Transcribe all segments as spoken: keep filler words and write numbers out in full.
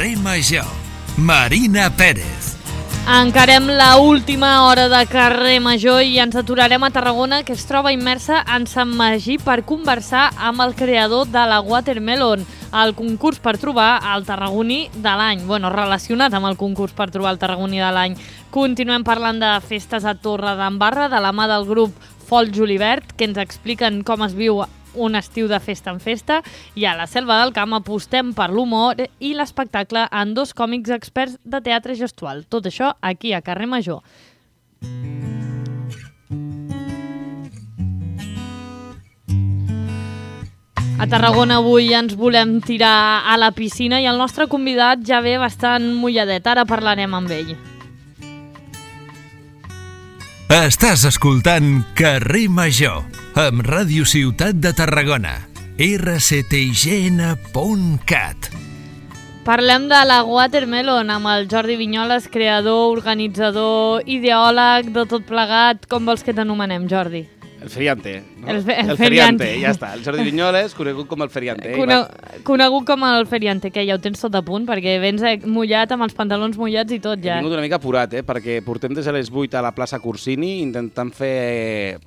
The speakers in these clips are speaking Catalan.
Carrer Major, Marina Pérez. Encarem la última hora de Carrer Major i ens aturarem a Tarragona, que es troba immersa en Sant Magí per conversar amb el creador de la Watermelon, el concurs per trobar el tarragoní de l'any. Bueno, relacionat amb el concurs per trobar el tarragoní de l'any. Continuem parlant de festes a Torredembarra, de la mà del grup Folk Julivert, que ens expliquen com es viu un estiu de festa en festa, i a la Selva del Camp apostem per l'humor i l'espectacle en dos còmics experts de teatre gestual. Tot això aquí a Carrer Major. A Tarragona avui ens volem tirar a la piscina i el nostre convidat ja ve bastant mulladet. Ara parlarem amb ell. Estàs escoltant Carrer Major amb Ràdio Ciutat de Tarragona, erre ce te i ge ene punt cat. Parlem de la Watermelon amb el Jordi Vinyoles, creador, organitzador, ideòleg de tot plegat. Com vols que t'anomenem, Jordi? El feriante. No? El, fe, el, el feriante. feriante, ja està. El Jordi Vinyoles, conegut com el feriante. Cone conegut com el feriante, que ja ho tens tot a punt, perquè vens mullat amb els pantalons mullats i tot ja. He vingut una mica apurat, eh? Perquè portem des de les vuit a la plaça Corsini intentant fer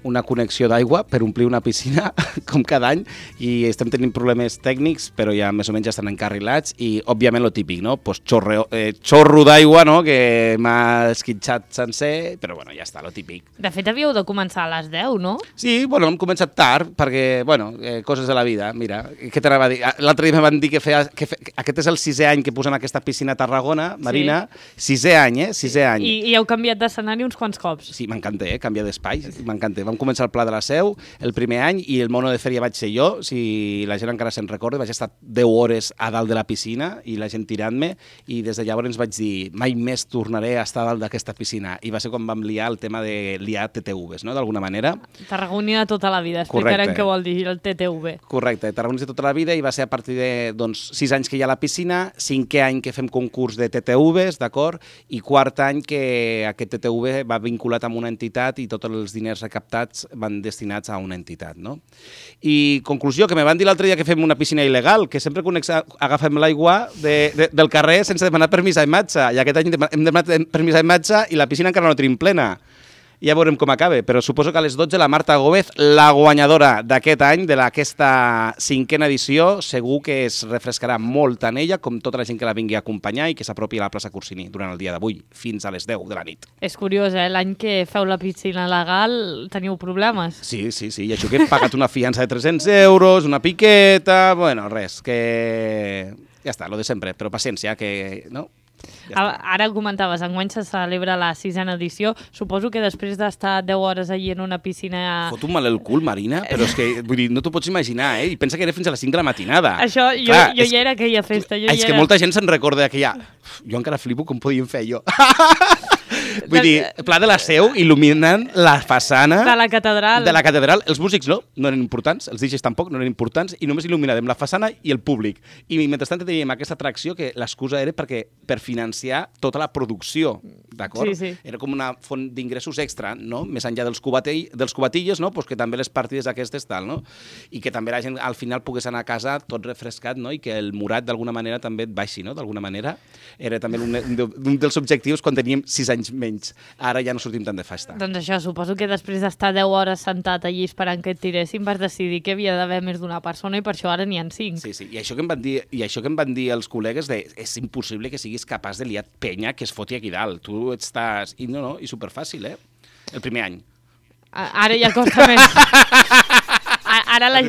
una connexió d'aigua per omplir una piscina, com cada any, i estem tenint problemes tècnics, però ja més o menys ja estan encarrilats, i òbviament lo típic, no? Pues xorreo, eh, xorro d'aigua, no? Que m'ha esquitxat sencer, però bueno, ja està, lo típic. De fet, havíeu de començar a les deu, no? Sí, bueno, hem començat tard, perquè, bueno, eh, coses de la vida, mira, què t'anava a dir? L'altre dia me van dir que, feia, que fe, aquest és el sisè any que posen aquesta piscina a Tarragona, Marina, sí. Sisè any, eh? Sisè any. I, i heu canviat d'escenari uns quants cops. Sí, m'encanta, eh? Canviar d'espai, m'encanta. Vam començar el Pla de la Seu el primer any i el mono de fèria vaig ser jo, si la gent encara se'n recorda, vaig estar deu hores a dalt de la piscina i la gent tirant-me, i des de llavors ens vaig dir mai més tornaré a estar a dalt d'aquesta piscina, i va ser quan vam liar el tema de liar te te uves, no?, d'alguna manera. Tarragoní de tota la vida, explicarem què vol dir el te te uve. Correcte, Tarragoní de tota la vida, i va ser a partir de doncs, sis anys que hi ha a la piscina, cinquè any que fem concurs de te te uves, d'acord, i quart any que aquest te te uve va vinculat amb una entitat i tots els diners recaptats van destinats a una entitat, no? I conclusió, que me van dir l'altre dia que fem una piscina il·legal, que sempre agafem l'aigua de, de, del carrer sense demanar permís a imatge, i aquest any hem demanat permís a imatge i la piscina encara no tenim plena. Ja veurem com acaba, però suposo que a les dotze la Marta Gómez, la guanyadora d'aquest any, d'aquesta cinquena edició, segur que es refrescarà molt tant ella com tota la gent que la vingui a acompanyar i que s'apropi a la plaça Corsini durant el dia d'avui, fins a les deu de la nit. És curiós, eh? L'any que feu la piscina legal teniu problemes. Sí, sí, sí, i això que he pagat una fiança de tres-cents euros, una piqueta, bueno, res, que ja està, lo de sempre, però paciència, que no... Ja Ara comentaves, enguany se celebra la sisena edició. Suposo que després d'estar deu hores allí en una piscina... Fot un mal el cul, Marina, però és que vull dir, no t'ho pots imaginar, eh? I pensa que era fins a les cinc de la matinada. Això, jo, Clar, jo ja era aquella festa. Jo és ja que era... molta gent se'n recorda d'aquella... Jo encara flipo com podíem fer jo. Vull dir, Pla de la Seu il·luminant la façana... De la catedral. De la catedral. Els músics no, no eren importants, els D Js tampoc no eren importants, i només il·luminàvem la façana i el públic. I mentrestant teníem aquesta atracció que l'excusa era perquè per financiar tota la producció, d'acord? Sí, sí. Era com una font d'ingressos extra, no? Més enllà dels, cubatell, dels cubatilles, no? Pues que també les partides aquestes tal, no? I que també la gent al final pogués anar a casa tot refrescat, no? I que el morat d'alguna manera també et baixi, no? D'alguna manera. Era també un, un dels objectius quan teníem sis anys menys. Ara ja no sortim tant de festa. Doncs això, suposo que després d'estar deu hores sentat allí esperant que et tiressin vas decidir que havia d'haver més d'una persona i per això ara n'hi ha cinc. Sí, sí, i això que em van dir, i això que em van dir els col·legues de és impossible que siguis capaç de liar penya que es foti aquí dalt. Tu estàs... I no, no, i superfàcil, eh? El primer any. Ara ja costa més. Ara la,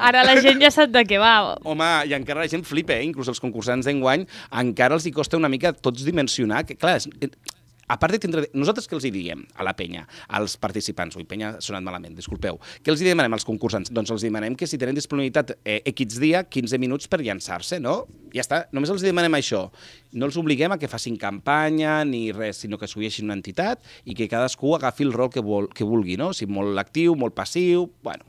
ara la gent ja sap de què va. Home, i encara la gent flipa, eh? Inclús els concursants d'enguany, encara els hi costa una mica tots dimensionar, que clar, és, a part de tindre... Nosaltres què els hi diem a la penya, als participants? Ui, penya ha sonat malament, disculpeu. Què els hi demanem als concursants? Doncs els demanem que si tenen disponibilitat eh, X dia, quinze minuts per llançar-se, no? Ja està, només els demanem això. No els obliguem a que facin campanya ni res, sinó que s'ulleixin una entitat i que cadascú agafi el rol que, vol, que vulgui, no? Si molt actiu, molt passiu... Bueno,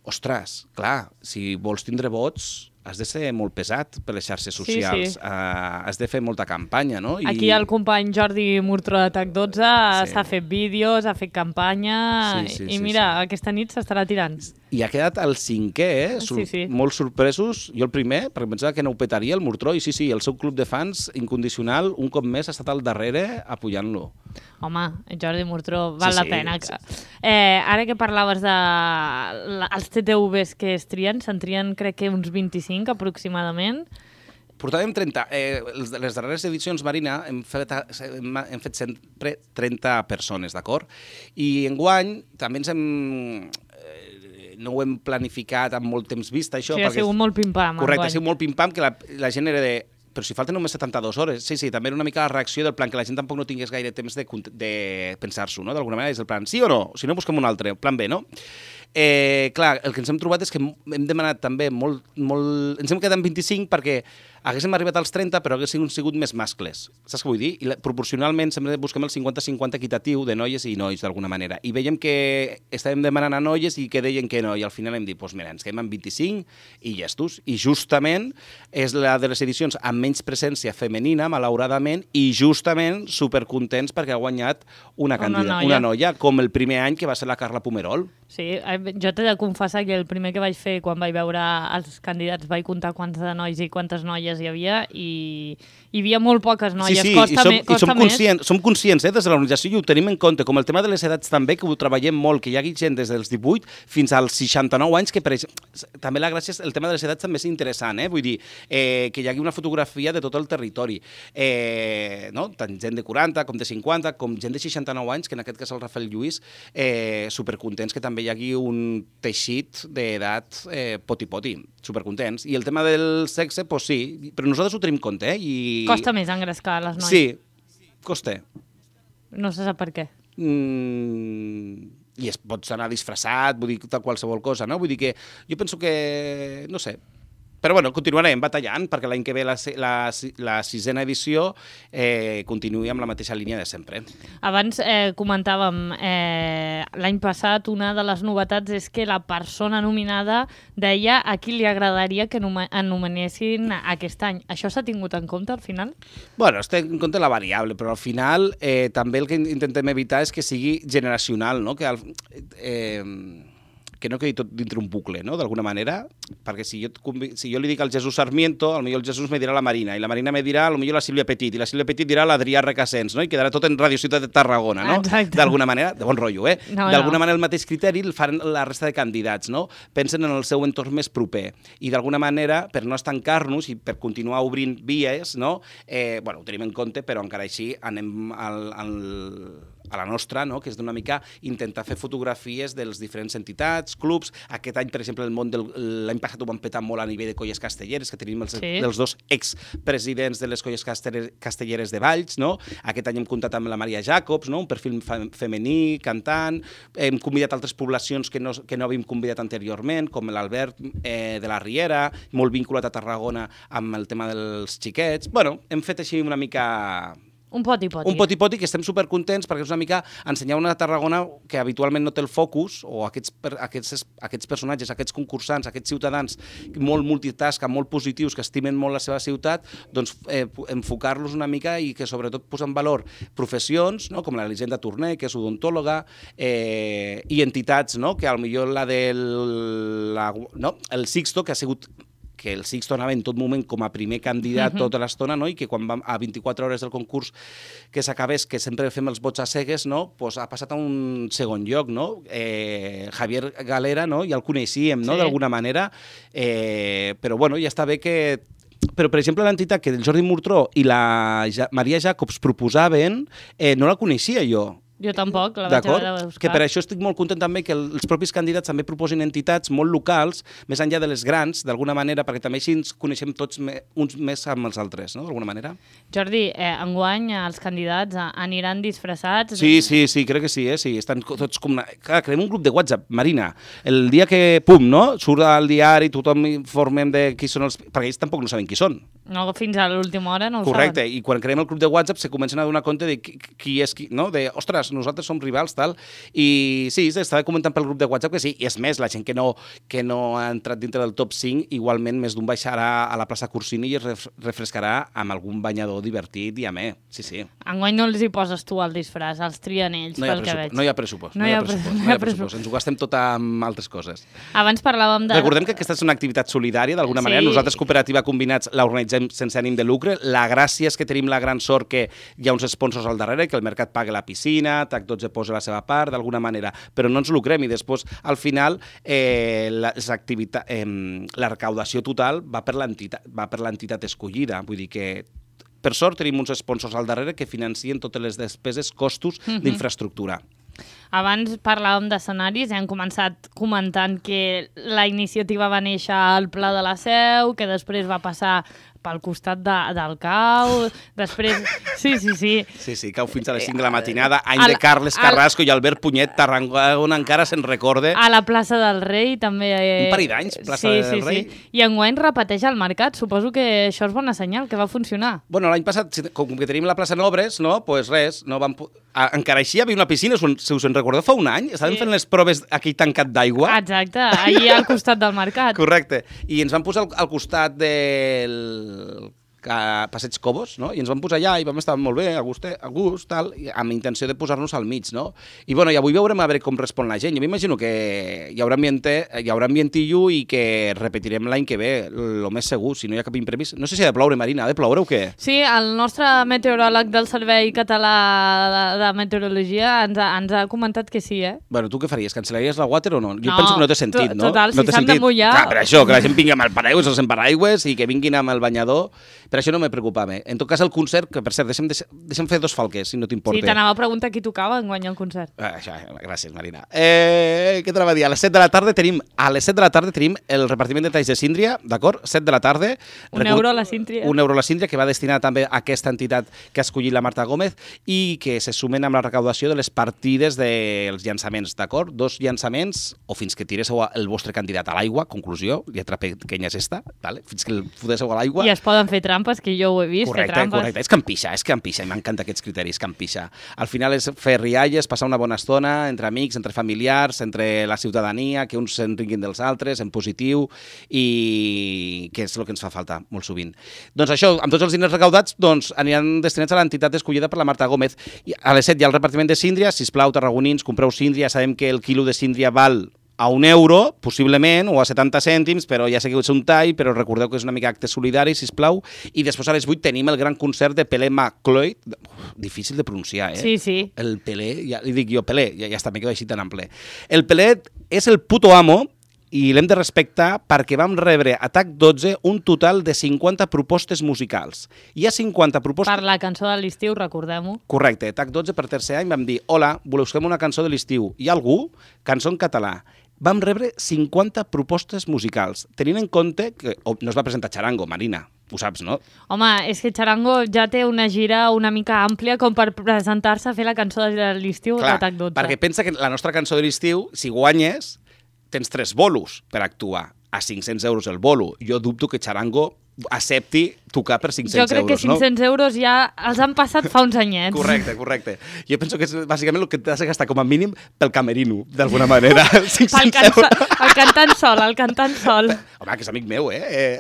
ostres, clar, si vols tindre vots, has de ser molt pesat per les xarxes socials, sí, sí. Uh, has de fer molta campanya, no? I... Aquí el company Jordi Murtró de TAC dotze sí. s'ha fet vídeos, ha fet campanya sí, sí, i sí, mira, sí. aquesta nit s'estarà tirant. I ha quedat el cinquè, eh? Sur sí, sí. Molt sorpresos. Jo el primer, perquè pensava que no ho petaria el Murtró, i sí, sí, el seu club de fans incondicional, un cop més, ha estat al darrere apoyant-lo. Home, Jordi Murtró, val sí, la pena. Sí, sí. Eh, ara que parlaves de la, els T T Vs que es trien, se'n trien crec que uns vint-i-cinc aproximadament. Portàvem trenta. Eh, les darreres edicions, Marina, hem fet, hem, hem fet sempre trenta persones, d'acord? I enguany també ens hem... Eh, no ho hem planificat amb molt temps vista, això. Sí, ha sigut molt pim-pam. Correcte, ha sigut molt pim-pam, que la, la gent era de... Però si falten només setanta-dues hores. Sí, sí, també era una mica la reacció del plan que la gent tampoc no tingués gaire temps de, de pensar-s'ho, no? D'alguna manera és el plan sí o no? Si no, busquem un altre, plan B, no? Eh, clar, el que ens hem trobat és que hem demanat també molt... molt... Ens hem quedat en vint-i-cinc perquè haguéssim arribat als trenta, però haguéssim sigut més mascles. Saps què vull dir? I la, proporcionalment sempre busquem el cinquanta cinquanta equitatiu de noies i nois, d'alguna manera. I veiem que estàvem demanant a noies i que deien que no. I al final hem dit, doncs mira, ens quedem amb vint-i-cinc i llestos. I justament és la de les edicions amb menys presència femenina, malauradament, i justament supercontents perquè ha guanyat una, una, noia. noia. una noia, com el primer any que va ser la Carla Pomerol. Sí, jo t'he de confessar que el primer que vaig fer quan vaig veure els candidats vaig comptar quants de nois i quantes noies hi havia i hi havia molt poques noies. Sí, sí, costa i som, me, costa i som més. conscients, som conscients eh, des de l'organització i ho tenim en compte, com el tema de les edats també, que ho treballem molt, que hi hagi gent des dels divuit fins als seixanta-nou anys, que per exemple, també la gràcia és, el tema de les edats també és interessant, eh? Vull dir, eh, que hi hagi una fotografia de tot el territori, eh, no? Tant gent de quaranta com de cinquanta, com gent de seixanta-nou anys, que en aquest cas el Rafael Lluís, eh, supercontents que també hi hagi un teixit d'edat eh, poti-poti, supercontents. I el tema del sexe, doncs sí, però nosaltres ho tenim en compte, eh? I... Costa més engrescar les noies. Sí, costa. No se sap per què. Mm, I es pots anar disfressat, vull dir, qualsevol cosa, no? Vull dir que jo penso que, no sé, però bueno, continuarem batallant perquè l'any que ve la, la, la sisena edició eh, continuï amb la mateixa línia de sempre. Abans eh, comentàvem, eh, l'any passat una de les novetats és que la persona nominada deia a qui li agradaria que anomenessin aquest any. Això s'ha tingut en compte al final? Bueno, es té en compte la variable, però al final eh, també el que intentem evitar és que sigui generacional, no? Que al, eh, que no quedi tot dintre un bucle, no?, d'alguna manera, perquè si jo, si jo li dic al Jesús Sarmiento, potser el Jesús me dirà la Marina, i la Marina me dirà potser la Sílvia Petit, i la Sílvia Petit dirà l'Adrià Requesens, no?, i quedarà tot en Radio Ciutat de Tarragona, no?, d'alguna manera, de bon rotllo, eh? No, d'alguna no. manera el mateix criteri el fan la resta de candidats, no?, pensen en el seu entorn més proper, i d'alguna manera, per no estancar-nos i per continuar obrint vies, no?, eh, bueno, ho tenim en compte, però encara així anem al... al a la nostra, no?, que és d'una mica intentar fer fotografies de les diferents entitats, clubs. Aquest any, per exemple, el món del... l'any passat ho vam petar molt a nivell de colles castelleres, que tenim els, sí. els dos expresidents de les colles castelleres de Valls, no? Aquest any hem comptat amb la Maria Jacobs, no?, un perfil femení, cantant. Hem convidat altres poblacions que no, que no havíem convidat anteriorment, com l'Albert eh, de la Riera, molt vinculat a Tarragona amb el tema dels xiquets. Bueno, hem fet així una mica... Un poti-poti. Un poti-poti que estem supercontents perquè és una mica ensenyar una Tarragona que habitualment no té el focus, o aquests, aquests, aquests personatges, aquests concursants, aquests ciutadans molt multitasca, molt positius, que estimen molt la seva ciutat, doncs eh, enfocar-los una mica i que sobretot posar en valor professions, no?, com l'Elisenda Torné, que és odontòloga, eh, i entitats, no?, que potser la del... La, no? el Sixto, que ha sigut... que el Sixto anava en tot moment com a primer candidat uh-huh. tota l'estona, no?, i que quan vam a vint-i-quatre hores del concurs que s'acabés, que sempre fem els vots a cegues, no?, pues ha passat a un segon lloc, no? Eh, Javier Galera, no?, ja el coneixíem, no?, sí. d'alguna manera, eh, però bueno, ja està bé que... Però, per exemple, l'entitat que el Jordi Murtró i la ja Maria Jacobs proposaven, eh, no la coneixia jo. Jo tampoc, la vaig haver de buscar. Que per això estic molt content també que els propis candidats també proposin entitats molt locals, més enllà de les grans, d'alguna manera, perquè també així ens coneixem tots me, uns més amb els altres, no?, d'alguna manera. Jordi, eh, enguany els candidats aniran disfressats? Sí, sí, sí, crec que sí, eh? Sí, estan tots com... Una... Clar, creem un grup de WhatsApp, Marina. El dia que, pum, no?, surt al diari, tothom informem de qui són els... Perquè ells tampoc no saben qui són. No, fins a l'última hora no ho Correcte, saben. i quan creem el grup de WhatsApp se comencen a donar compte de qui, qui és qui, no?, de, ostres, rivals, nosaltres som rivals, tal. I sí, s'estava comentant pel grup de WhatsApp que sí, i és més, la gent que no, que no ha entrat dintre del top cinc, igualment més d'un baixarà a la plaça Corsini i es refrescarà amb algun banyador divertit i amè. Sí, sí. Enguany no els hi poses tu el disfraç, els trien ells, no pel que veig. No hi ha pressupost. No, no hi ha pressupost. No hi ha pressupost. Ens ho gastem tot amb altres coses. Abans parlàvem de... Recordem que aquesta és una activitat solidària, d'alguna sí. manera. Nosaltres, Cooperativa Combinats, l'organitzem sense ànim de lucre. La gràcia és que tenim la gran sort que hi ha uns sponsors al darrere, que el mercat paga la piscina, T A C dotze posa la seva part, d'alguna manera, però no ens lucrem i després, al final, eh, les activitats, eh, la recaudació total va per l'entitat va per l'entitat escollida. Vull dir que per sort tenim uns sponsors al darrere que financien totes les despeses, costos uh-huh. d'infraestructura. Abans parlàvem d'escenaris i hem començat comentant que la iniciativa va néixer al Pla de la Seu, que després va passar pel costat de, del Cau, després... Sí, sí, sí. Sí, sí, Cau fins a les cinc de la matinada, any de Carles Carrasco i Albert Punyet, Tarragona encara se'n recorda. A la plaça del Rei també... Un parell d'anys, plaça sí, del sí, Rei. Sí. I enguany repeteix el mercat, suposo que això és bona senyal, que va funcionar. Bueno, l'any passat, com que tenim la plaça Nobres, no? Pues res, no vam... Encara així hi havia una piscina, si us en recordeu, fa un any, estàvem sí. fent les proves aquí tancat d'aigua. Exacte, allà al costat del mercat. Correcte, i ens van posar al, al costat del Passeig Cobos, no? I ens vam posar allà i vam estar molt bé, a gust, a gust tal, amb intenció de posar-nos al mig, no? I, bueno, i avui veurem a veure com respon la gent. Jo m'imagino que hi haurà, ambiente, hi haurà ambientillo i que repetirem l'any que ve, el més segur, si no hi ha cap imprevist. No sé si ha de ploure, Marina, ha de ploure o què? Sí, el nostre meteoròleg del Servei Català de, de Meteorologia ens ha, ens ha comentat que sí, eh? Bueno, tu què faries? Cancel·laries la water o no? Jo no, penso que no té sentit, no? Total, no si s'han de mullar... Clar, per això, que la gent vingui amb el paraigües, els paraigües i que vinguin amb el banyador. Per això no me preocupava. En tot cas, el concert, que per cert, deixem, deixem fer dos falques, si no t'importa. Sí, t'anava a preguntar qui tocava en guanyar el concert. Ah, això, gràcies, Marina. Eh, què t'anava a dir? A les set de la tarda tenim, a les set de la tarda tenim el repartiment de talls de síndria, d'acord? set de la tarda. Un Recu... euro a la síndria. Un euro a la síndria, que va destinat també a aquesta entitat que ha escollit la Marta Gómez i que se sumen amb la recaudació de les partides dels llançaments, d'acord? Dos llançaments, o fins que tiréssiu el vostre candidat a l'aigua, conclusió, lletra pequeña és esta, vale? Fins que el fotéssiu a l'aigua. I es poden fer trampes, que jo ho he vist. Correcte, correcte. És campixa, és campixa, i m'encanten aquests criteris, campixa. Al final és fer rialles, passar una bona estona entre amics, entre familiars, entre la ciutadania, que uns se'n ringuin dels altres, en positiu, i que és el que ens fa falta molt sovint. Doncs això, amb tots els diners recaudats, doncs, aniran destinats a l'entitat escollida per la Marta Gómez. I a les set hi ha el repartiment de síndria, sisplau, tarragonins, compreu síndria, sabem que el quilo de síndria val a un euro, possiblement, o a setanta cèntims, però ja sé que és un tall, però recordeu que és una mica acte solidari, sisplau. I després a les vuit tenim el gran concert de Pelé McCloy, difícil de pronunciar, eh? Sí, sí. El Pelé, ja li dic jo Pelé, ja, ja està, me quedo així tan ample. El Pelé és el puto amo, i l'hem de respectar perquè vam rebre a T A C dotze un total de cinquanta propostes musicals. Hi ha cinquanta propostes... Per la cançó de l'estiu, recordem-ho. Correcte, T A C dotze per tercer any vam dir hola, voleu fer una cançó de l'estiu? Hi ha algú? Cançó en català. Vam rebre cinquanta propostes musicals, tenint en compte que oh, no es va presentar Charango, Marina, ho saps, no? Home, és que Charango ja té una gira una mica àmplia com per presentar-se a fer la cançó de l'estiu de T A C dotze. Perquè pensa que la nostra cançó de l'estiu, si guanyes, tens tres bolos per actuar. A cinc-cents euros el bolo. Jo dubto que Charango accepti tocar per cinc-cents euros, no? Jo crec que cinc-cents euros ja els han passat fa uns anyets. Correcte, correcte. Jo penso que és bàsicament el que t'has de gastar com a mínim pel camerino, d'alguna manera. cinc-cents euros. El cantant sol, el cantant sol. Home, que és amic meu, eh?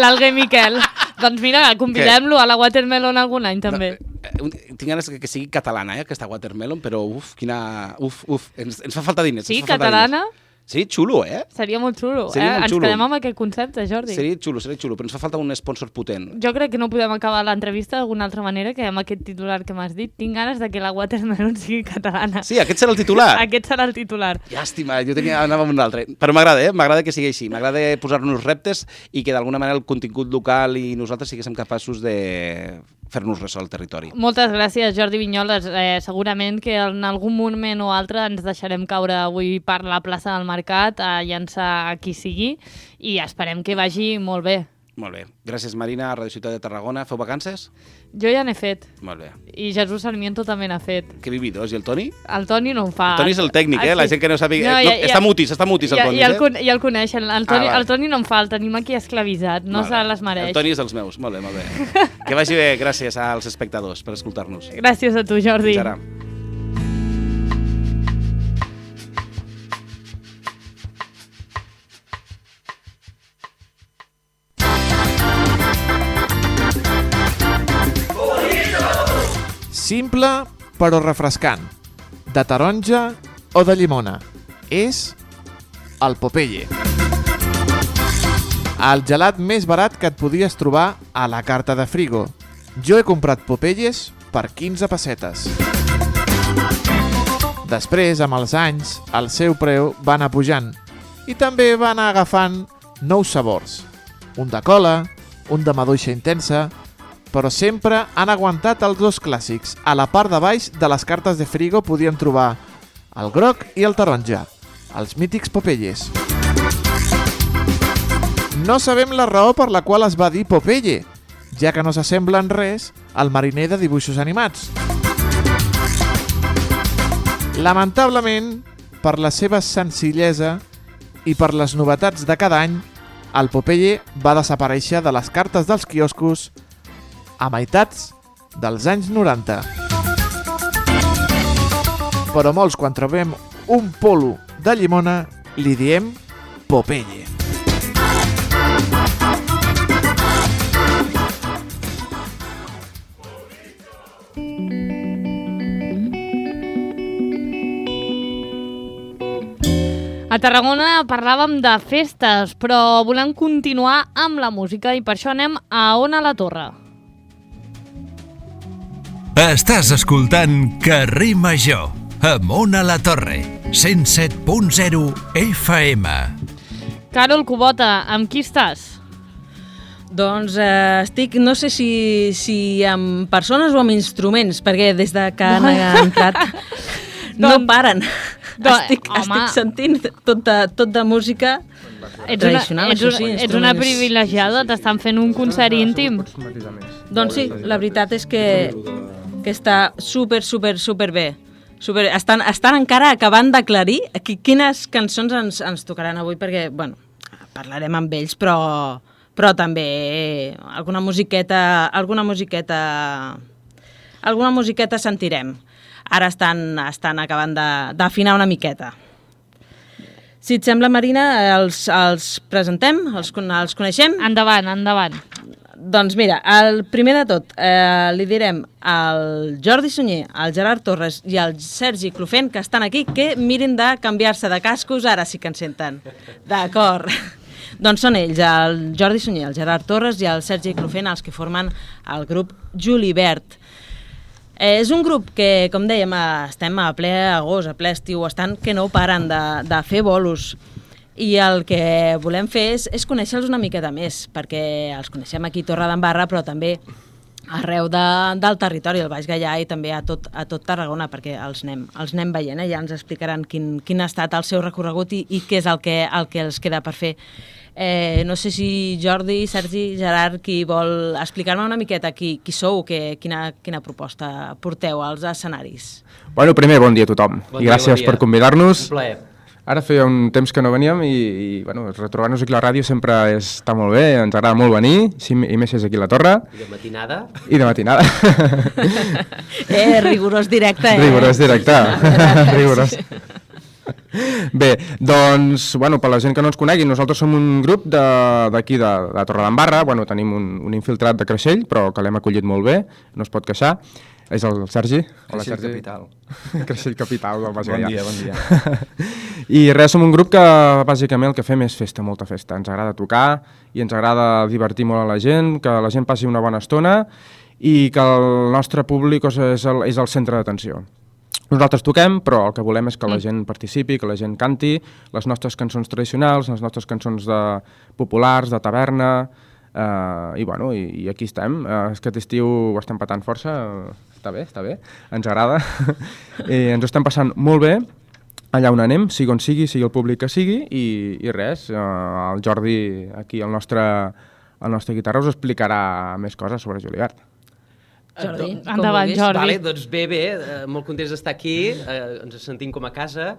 L'Alguer Miquel. Doncs mira, convidem-lo a la Watermelon algun any, també. No, tinc ganes que sigui catalana, eh, aquesta Watermelon, però uf, quina... Uf, uf, ens, ens fa falta diners. Sí, ens fa catalana? Diners. Sí, xulo, eh? Seria molt xulo, Seria eh? molt Ens xulo. quedem amb aquest concepte, Jordi. Seria xulo, seria xulo, però ens fa falta un sponsor potent. Jo crec que no podem acabar l'entrevista d'alguna altra manera que amb aquest titular que m'has dit. Tinc ganes de que la Watermelon sigui catalana. Sí, aquest serà el titular. Aquest serà el titular. Llàstima, jo tenia, anava amb un altre. Però m'agrada, eh? M'agrada que sigui així. M'agrada posar-nos reptes i que d'alguna manera el contingut local i nosaltres siguéssim capaços de fer-nos ressò al territori. Moltes gràcies, Jordi Vinyoles. Eh, segurament que en algun moment o altre ens deixarem caure avui per la plaça del Mercat a llançar a qui sigui i esperem que vagi molt bé. Molt bé. Gràcies, Marina, a Radio Ciutat de Tarragona. Feu vacances? Jo ja n'he fet. Molt bé. I Jesús Sarmiento també n'ha fet. Que vividors. I el Toni? El Toni no en fa. El Toni és el tècnic, eh? La gent que no sàpiga... No, no, ja, ja, està mutis, està mutis el ja, Toni, ja, el, eh? ja el coneixen. El Toni, Ah, el Toni no en fa, el tenim aquí esclavitzat. No se les mereix. El Toni és dels meus. Molt bé, molt bé. Que vagi bé. Gràcies als espectadors per escoltar-nos. Gràcies a tu, Jordi. Fins ara. Simple però refrescant, de taronja o de llimona. És el Popeye. El gelat més barat que et podies trobar a la carta de frigo. Jo he comprat Popeyes per quinze pessetes. Després, amb els anys, el seu preu va anar pujant i també va anar agafant nous sabors. Un de cola, un de maduixa intensa, però sempre han aguantat els dos clàssics. A la part de baix de les cartes de frigo podien trobar el groc i el taronja, els mítics Popeyes. No sabem la raó per la qual es va dir Popeye, ja que no s'assembla en res al mariner de dibuixos animats. Lamentablement, per la seva senzillesa i per les novetats de cada any, el Popeye va desaparèixer de les cartes dels quioscos a meitats dels anys noranta. Però molts, quan trobem un polo de llimona, li diem Popeye. A Tarragona parlàvem de festes, però volem continuar amb la música i per això anem a Ona la Torre. Estàs escoltant Carrer Major, amb Ona la Torre, cent set punt zero F M. Carol Kubota, amb qui estàs? Doncs eh, estic, no sé si, si amb persones o amb instruments, perquè des de que han entrat no paren. Doncs, estic, estic sentint tot de, tot de música ets tradicional, una, ets, això sí, ets una privilegiada, t'estan fent un concert íntim. Doncs sí, la veritat és que, que està super, super, super bé. Super, estan, estan encara acabant d'aclarir quines cançons ens, ens tocaran avui, perquè, bueno, parlarem amb ells, però, però també alguna musiqueta, alguna musiqueta, alguna musiqueta sentirem. Ara estan, estan acabant d'afinar una miqueta. Si et sembla, Marina, els, els presentem? Els, els coneixem? Endavant, endavant. Doncs mira, el primer de tot, eh, li direm al Jordi Sunyer, al Gerard Torres i al Sergi Clofent, que estan aquí, que mirin de canviar-se de cascos, ara sí que ens senten. D'acord. Doncs són ells, el Jordi Sunyer, el Gerard Torres i el Sergi Clofent, els que formen el grup Julibert. Eh, és un grup que, com dèiem, estem a ple agost, a ple estiu, estan que no paren de, de fer bolos. I el que volem fer és, és conèixer-los una miqueta més, perquè els coneixem aquí a Torredembarra, però també arreu de, del territori, al Baix Gaià i també a tot, a tot Tarragona, perquè els anem, els anem veient, eh? Ja ens explicaran quin, quin ha estat el seu recorregut i, i què és el que, el que els queda per fer. Eh, no sé si Jordi, Sergi, Gerard, qui vol explicar-me una miqueta qui, qui sou, que, quina, quina proposta porteu als escenaris. Bueno, primer, bon dia a tothom bon i dia, gràcies bon per convidar-nos. Un plaer. Ara feia un temps que no veníem i, i bueno, retrobar-nos aquí a la ràdio sempre és, està molt bé, ens agrada molt venir, sí, i més és aquí a la Torre. I de matinada. I de matinada. eh, rigorós directe, eh? Rigorós directe, rigorós. Bé, doncs, bueno, per la gent que no ens conegui, nosaltres som un grup d'aquí, de, de, de Torredembarra, bueno, tenim un, un infiltrat de Creixell, però que l'hem acollit molt bé, no es pot queixar. És el Sergi. Hola, Creixell Sergi. Capital. Creixell Capital del Baix Gaià. Bon dia, bon dia. I res, som un grup que bàsicament el que fem és festa, molta festa. Ens agrada tocar i ens agrada divertir molt a la gent, que la gent passi una bona estona i que el nostre públic és el, és el centre d'atenció. Nosaltres toquem, però el que volem és que la gent participi, que la gent canti les nostres cançons tradicionals, les nostres cançons de populars, de taverna, eh, i, bueno, i, i aquí estem. Eh, aquest estiu ho estem patant força, està bé, està bé, ens agrada, i ens ho estem passant molt bé, allà on anem, sigui on sigui, sigui el públic que sigui, i, i res, eh, el Jordi, aquí, el nostre, el nostre guitarra, us explicarà més coses sobre Julibert. Jordi, endavant, Jordi. Vale, doncs bé, bé, eh, molt contents d'estar aquí, eh, ens sentim com a casa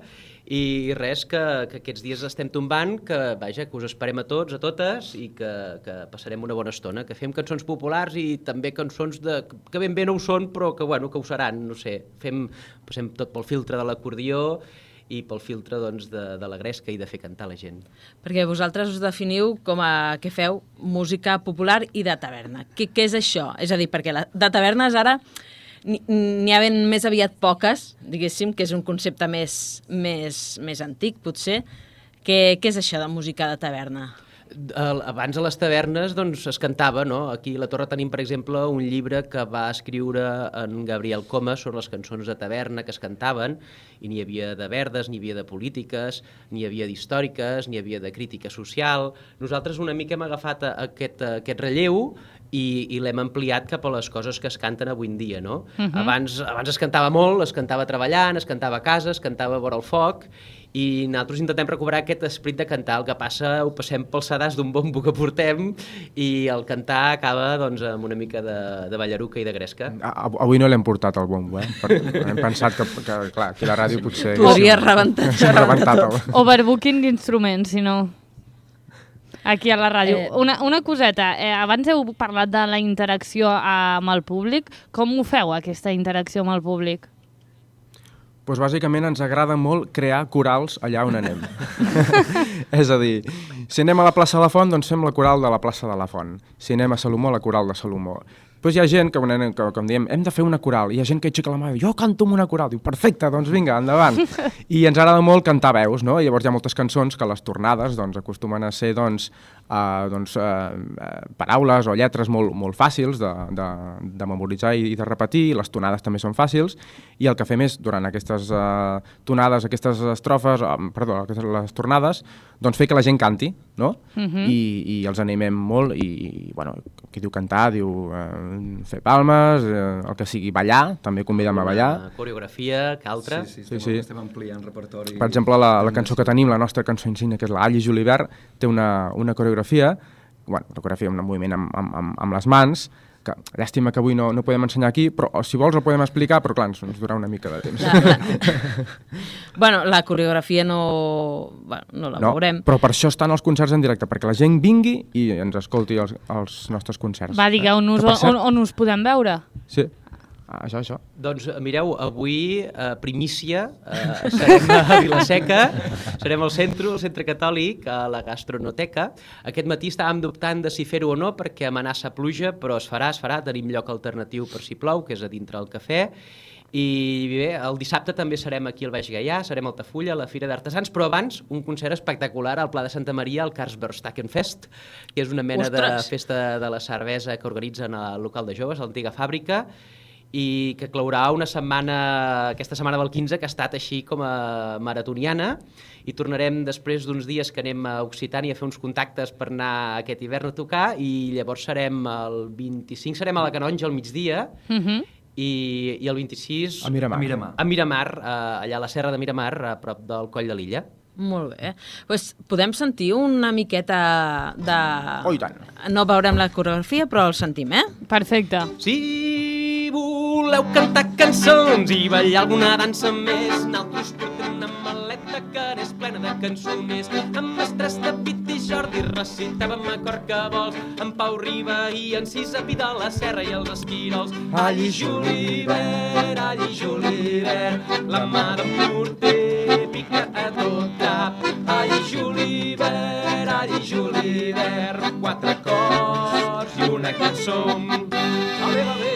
i res, que, que aquests dies estem tombant, que vaja, que us esperem a tots, a totes i que, que passarem una bona estona, que fem cançons populars i també cançons de, que ben bé no ho són, però que, bueno, que ho seran, no sé, fem, passem tot pel filtre de l'acordió i pel filtre doncs, de, de la gresca i de fer cantar la gent. Perquè vosaltres us definiu com a que feu música popular i de taverna. Què, què és això? És a dir, perquè la, de tavernes ara n'hi ha ben més aviat poques, diguéssim, que és un concepte més, més, més antic, potser. Què, què és això de música de taverna? Abans a les tavernes doncs, es cantava, no? Aquí a la Torre tenim, per exemple, un llibre que va escriure en Gabriel Coma sobre les cançons de taverna que es cantaven, i n'hi havia de verdes, n'hi havia de polítiques, n'hi havia d'històriques, n'hi havia de crítica social. Nosaltres una mica hem agafat aquest, aquest relleu i, i l'hem ampliat cap a les coses que es canten avui en dia, no? Uh-huh. abans, abans es cantava molt, es cantava treballant, es cantava a casa, es cantava a vora el foc, i nosaltres intentem recuperar aquest esperit de cantar. El que passa ho passem pel sedàs d'un bombo que portem i el cantar acaba doncs, amb una mica de, de ballaruca i de gresca. Avui no l'hem portat al bombo, eh? Per, hem pensat que, que, clar, aquí a la ràdio potser... Podria rebentar, rebentar tot. Overbooking d'instruments, si no... Aquí a la ràdio. Eh... Una, una coseta, eh, abans heu parlat de la interacció amb el públic. Com ho feu, aquesta interacció amb el públic? Doncs bàsicament ens agrada molt crear corals allà on anem. És a dir, si anem a la plaça de la Font, doncs fem la coral de la plaça de la Font. Si anem a Salomó, la coral de Salomó. Doncs hi ha gent que, que, com diem, hem de fer una coral. Hi ha gent que aixeca la mà i diu, jo canto amb una coral. Diu, perfecte, doncs vinga, endavant. I ens agrada molt cantar veus, no? I llavors hi ha moltes cançons que les tornades doncs, acostumen a ser doncs, uh, doncs, uh, paraules o lletres molt, molt fàcils de, de, de memoritzar i de repetir. Les tonades també són fàcils. I el que fem és, durant aquestes uh, tonades, aquestes estrofes, uh, perdó, aquestes, les tornades, doncs fer que la gent canti, no? Uh-huh. I, I els animem molt i, i bueno, qui diu cantar, diu... Uh, fer palmes, eh, el que sigui, ballar, també convidem a ballar. Una coreografia, que altra. Sí, sí, estem, sí, sí. estem ampliant repertori. Per exemple, la, la cançó que tenim, la nostra cançó insígnia, que és la Alli Julivert, té una, una coreografia, bueno, una coreografia, un moviment amb, amb, amb les mans, que llàstima que avui no, no podem ensenyar aquí, però si vols el podem explicar, però clar, ens, ens durarà una mica de temps. La, la... bueno, la coreografia no, bueno, no la no, veurem. Però per això estan els concerts en directe, perquè la gent vingui i ens escolti els, els nostres concerts. Va, digueu-nos eh? on, on us podem veure. Sí. Ah, això, això. Doncs mireu, avui, eh, primícia, eh, serem a Vilaseca, serem al centre, al centre catòlic, a la gastronoteca. Aquest matí estàvem dubtant de si fer-ho o no, perquè amenaça pluja, però es farà, es farà, tenim lloc alternatiu per si plou, que és a dintre el cafè. I bé, el dissabte també serem aquí al Baix Gaià, serem a Altafulla, a la Fira d'Artesans, però abans un concert espectacular al Pla de Santa Maria, al Karlsbergstackenfest, que és una mena Ostres. de festa de la cervesa que organitzen al local de joves, a l'antiga fàbrica, i que clourà una setmana, aquesta setmana del quinze, que ha estat així com a maratoniana, i tornarem després d'uns dies que anem a Occitània a fer uns contactes per anar aquest hivern a tocar, i llavors serem el vint-i-cinc, serem a la Canonja al migdia, Uh-huh. i, i el vint-i-sis A Miramar. A Miramar. a Miramar, eh, allà a la serra de Miramar, a prop del Coll de l'Illa. Molt bé. Pues podem sentir una miqueta de... Oh, i tant. No veurem la coreografia, però el sentim, eh? Perfecte. Si voleu cantar cançons i ballar alguna dansa més, naltros portem una maleta que n'és plena de cançoners. Amb mestres de Pit i Jordi recitàvem a cor que vols, en Pau Riba i en Cisa Pida, la Serra i els Esquirols. Alli Julivert, Alli Julivert, la mà d'en Porter pica a tot cap. Alli Julivert, Alli Julivert, quatre cors i una cançó. Va bé, va bé.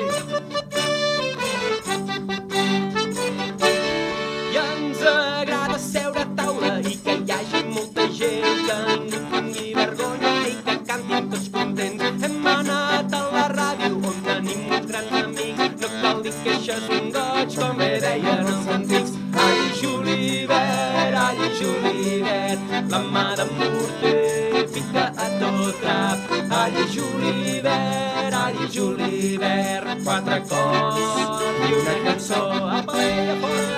I ens agrada seure a taula i que hi hagi molta gent, que ningú tingui vergonya i que cantin tots contents. Hem anat a la ràdio on tenim uns grans amics, no cal dir que això és un goig, com bé deien els antics. Alli Julivert, Alli Julivert, la mà d'en Porter pica a tot drap. Alli Julivert, Alli Julivert, quatre cors i una cançó. Apa, a fora!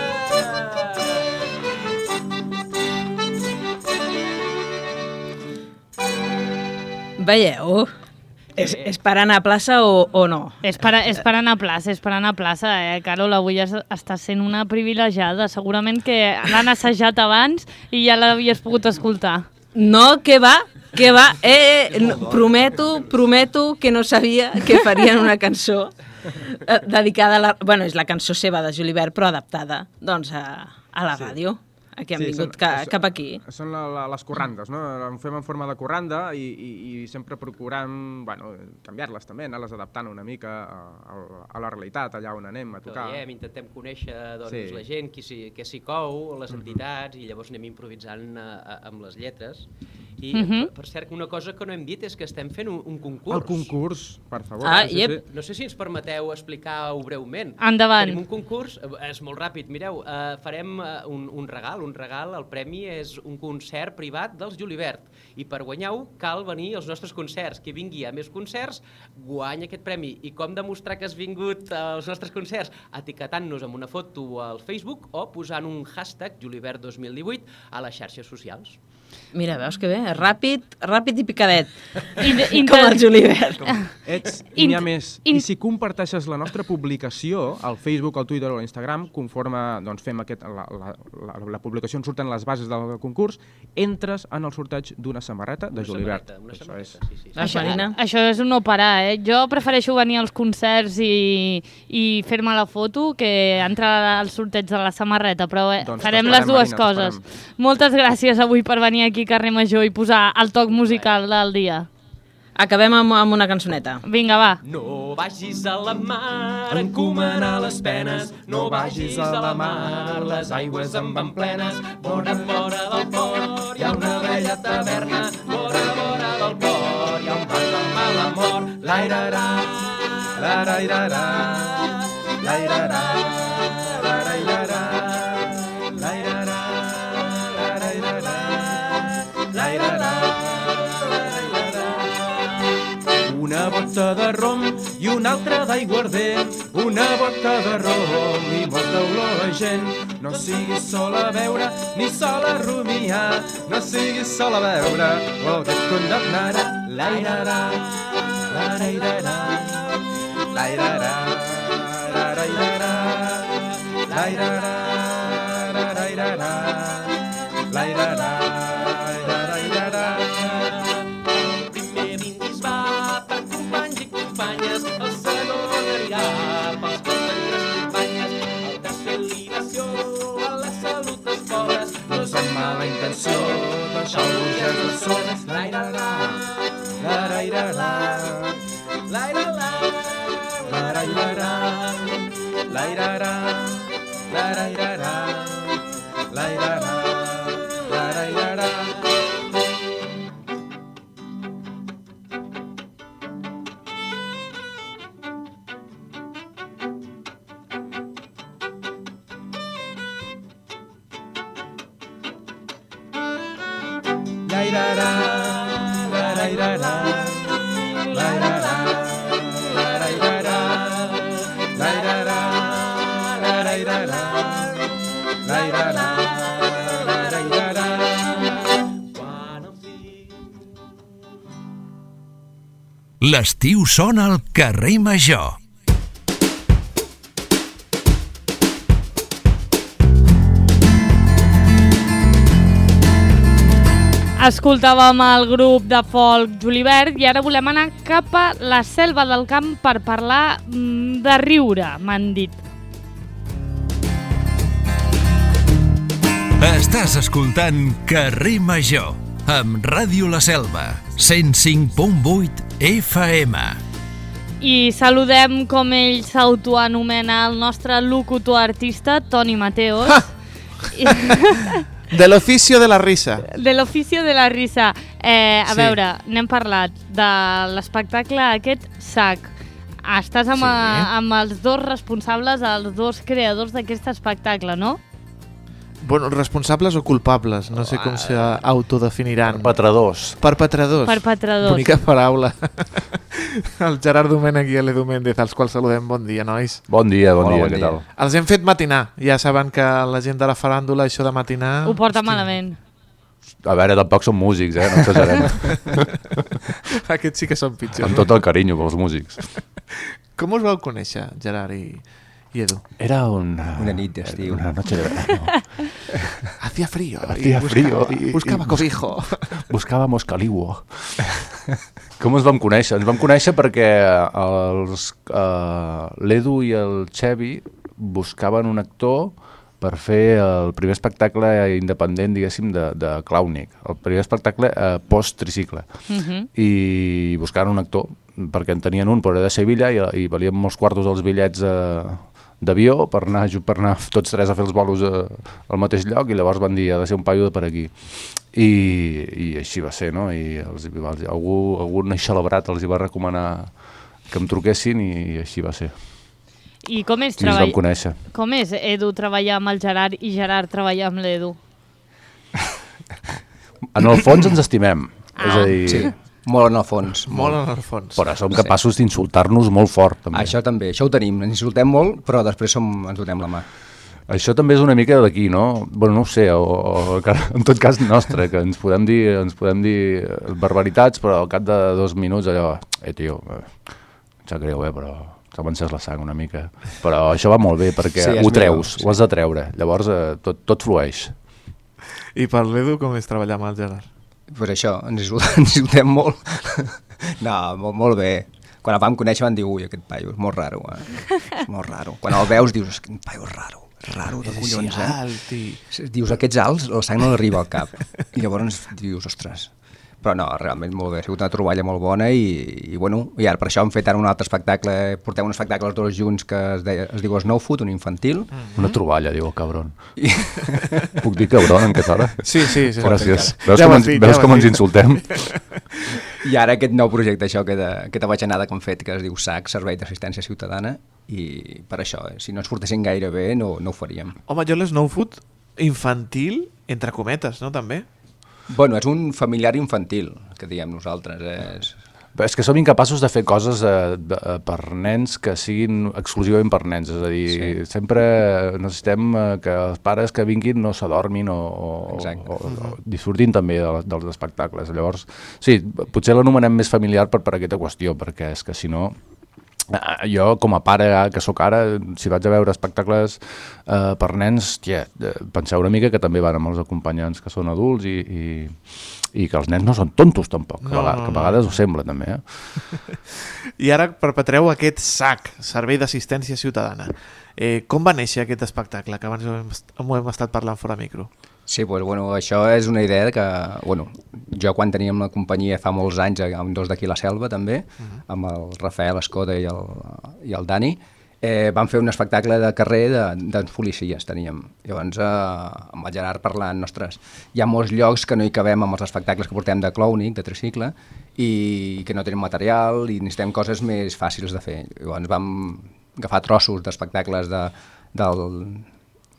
Veieu? És, és per anar a plaça o, o no? És per, és per anar a plaça, és per anar a plaça, eh, Carol? Avui es, està sent una privilegiada. Segurament que l'han assajat abans i ja l'havies pogut escoltar. No, què va? Què va? Eh, eh, no, prometo, prometo que no sabia que farien una cançó eh, dedicada a la... Bueno, és la cançó seva de Julivert, però adaptada, doncs, a, a la ràdio. que han Sí, vingut són- ca, són- cap aquí. Són la, la, les corrandes, no? En fem en forma de corranda i, i, i sempre procurant bueno, canviar-les també, anar-les adaptant una mica a, a, a la realitat, allà on anem a Que tocar. veiem, intentem conèixer doncs, Sí. la gent, qui s'hi qui s'hi cou, les entitats, i llavors anem improvisant a, a, amb les lletres. I, Mhm. per, per cert, una cosa que no hem dit és que estem fent un, un concurs. El concurs, per favor. Ah, sí, iep. sí. No sé si ens permeteu explicar-ho breument. Endavant. Tenim un concurs, eh, és molt ràpid, mireu, eh, farem eh, un, un regal, un regal, el premi és un concert privat dels Julivert, i per guanyar-ho cal venir als nostres concerts. Qui vingui a més concerts guanya aquest premi. I com demostrar que has vingut als nostres concerts? Etiquetant-nos amb una foto al Facebook o posant un hashtag Julivert dos mil divuit a les xarxes socials. Mira, veus que bé? Ràpid, ràpid i picadet. In- Com el inter- Julivert. Ets, i n'hi ha Int- més. in- I si comparteixes la nostra publicació al Facebook, al Twitter o a l'Instagram, conforme doncs, fem aquest, la, la, la, la publicació on surten les bases del concurs, entres en el sorteig d'una samarreta de Una Julivert. samarreta, una Això samarreta, és... sí, sí. sí. Això, Marina? Això és un no parar, eh? Jo prefereixo venir als concerts i, i fer-me la foto que entrar al sorteig de la samarreta, però eh, Doncs farem t'esperem, les dues Marina, coses. t'esperem. Moltes gràcies avui per venir aquí a Carrer Major i posar el toc musical del dia. Acabem amb, amb una cançoneta. Vinga, va. No vagis a la mar a encomanar les penes, no vagis a la mar, les aigües en van plenes. Vora, vora del port hi ha una bella taverna, vora, vora del port hi ha un bar del mal amor. L'airarà, l'arairarà, l'airarà, l'arairarà, l'airarà, l'arairarà, l'airarà. Una bota de rom i una altra d'aiguardent, una bota de rom i molta olor a gent. No siguis sola a veure ni sola a rumiar, no siguis sola a veure o que et condemnarà. L'airarà, l'arairarà, l'airarà, l'arairarà, l'airarà, l'arairarà, l'airarà, l'arairarà. Primer brindis va per companys i companyes, el segon anirà pels companys i companyes, el tercer libació a la salut dels pobres, no és amb mala intenció deixar el burgès de soles. L'airarà, l'arairarà, l'airarà, l'arairarà, l'airarà, l'arairarà, l'airarà, l'arairarà. L'airarà, l'arairarà, l'airarà, l'arairarà, l'airarà, l'arairarà, l'airarà, l'arairarà. Quan el fill... L'estiu sona al carrer Major. Escoltàvem el grup de folk Julivert i ara volem anar cap a la selva del camp per parlar mm, de riure, m'han dit. Estàs escoltant Carrer Major amb Ràdio La Selva, cent cinc punt vuit F M. I saludem, com ell s'autoanomena, el nostre locutor artista, Toni Mateos. I... De l'oficio de la risa. De l'oficio de la risa. Eh, a Sí. veure, n'hem parlat de l'espectacle aquest Sac. Estàs amb, Sí. a, amb els dos responsables, els dos creadors d'aquest espectacle, no? Bueno, responsables o culpables, no sé com s'autodefiniran. Perpetradors. Perpetradors. Perpetradors. Bonica paraula. El Gerard Domènech i l'Edu Méndez, als quals saludem. Bon dia, nois. Bon dia, bon Hola, dia, bon què dia. tal? Els hem fet matinar. Ja saben que la gent de la faràndula, això de matinar... Ho porta malament. A veure, tampoc som músics, eh? No exagerem. Aquests sí que són pitjors. Amb tot el carinyo pels músics. Com us vau conèixer, Gerard i, i Edu? Era una... Una nit d'estiu. Una noche de verano. Hacía frío. Hacía y frío buscaba, y- buscaba y- cobijo. Buscàvem caliuo. Com ens vam conèixer? Ens vam conèixer perquè els, uh, l'Edu i el Xevi buscaven un actor per fer el primer espectacle independent, diguéssim, de, de Clownic, el primer espectacle eh, post-tricicle. Uh-huh. I buscant un actor, perquè en tenien un, però era de Sevilla, i, i valien molts quartos els bitllets eh, d'avió per anar, per anar tots tres a fer els bolos eh, al mateix lloc, i llavors van dir, ha de ser un paio de per aquí. I, i així va ser, no? I els, els, algú, algun celebrat els hi va recomanar que em truquessin, i, i així va ser. I com és, I ens vam conèixer. Com és Edu treballar amb el Gerard i Gerard treballar amb l'Edu? En el fons ens estimem. Ah. És a dir, Sí, molt en el fons. Molt en el fons. però som capaços d'insultar-nos molt fort, també. Això també, això ho tenim, ens insultem molt, però després som, ens donem la mà. Això també és una mica d'aquí, no? Bueno, no ho sé, o, o en tot cas nostre, que ens podem dir, ens podem dir barbaritats, però al cap de dos minuts allò, eh, tio, eh, em sap greu, eh, però s'ha encès la sang una mica. Però això va molt bé, perquè Sí, és ho millor, treus, sí. ho has de treure, llavors eh, tot, tot flueix. I per l'Edu, com és treballar amb el Gerard? Pues això, ens insultem, ens insultem molt. No, molt, molt bé. Quan el vam conèixer van dir, ui, aquest paio és molt raro, eh? És molt raro. Quan el veus dius, aquest paio és raro, raro de collons, eh? alt i... Dius, aquests alts, la sang no li arriba al cap. I llavors dius, ostres... Però no, realment molt bé, ha sigut una troballa molt bona i, i bueno, i ara per això hem fet ara un altre espectacle, portem un espectacle els dos junts que es, deia, es diu Snow Food, un infantil. Mm-hmm. Una troballa, diu el cabron. I... Puc dir cabron en aquesta hora? Sí, sí, sí. Gràcies. Veus Ja com, ho has ens, dit, veus ja ho com has ens dit. insultem? I ara aquest nou projecte, això, aquesta, aquesta bajanada que hem fet, que es diu S A C, Servei d'Assistència Ciutadana, i per això, eh, si no ens portessin gaire bé, no, no ho faríem. Home, jo l'Snow Food infantil, entre cometes, no, també? Bueno, és un familiar infantil, que diem nosaltres. És... És que som incapaços de fer coses eh, de, eh, per nens que siguin exclusivament per nens, és a dir, sí. sempre necessitem eh, que els pares que vinguin no s'adormin o, o, o, o disfrutin també de, dels espectacles. Llavors, sí, potser l'anomenem més familiar per, per aquesta qüestió, perquè és que si no... Jo, com a pare que sóc ara, si vaig a veure espectacles eh, per nens, tia, penseu una mica que també van amb els acompanyants que són adults i, i, i que els nens no són tontos tampoc, que, No, a, vegades, no, que a no. vegades ho sembla també. Eh? I ara perpetreu aquest S A C, Servei d'Assistència Ciutadana. Eh, com va néixer aquest espectacle, que abans ho hem, ho hem estat parlant fora micro? Sí, pues, bueno, això és una idea que, bueno, jo quan teníem la companyia fa molts anys, amb dos d'aquí a la Selva també, uh-huh. amb el Rafael Escoda i el, i el Dani, eh, vam fer un espectacle de carrer de, de policies, teníem. Llavors, eh, amb el Gerard parlant, ostres, hi ha molts llocs que no hi cabem amb els espectacles que portem de Clownic, de tricicle, i que no tenim material i necessitem coses més fàcils de fer. Llavors vam agafar trossos d'espectacles de, del,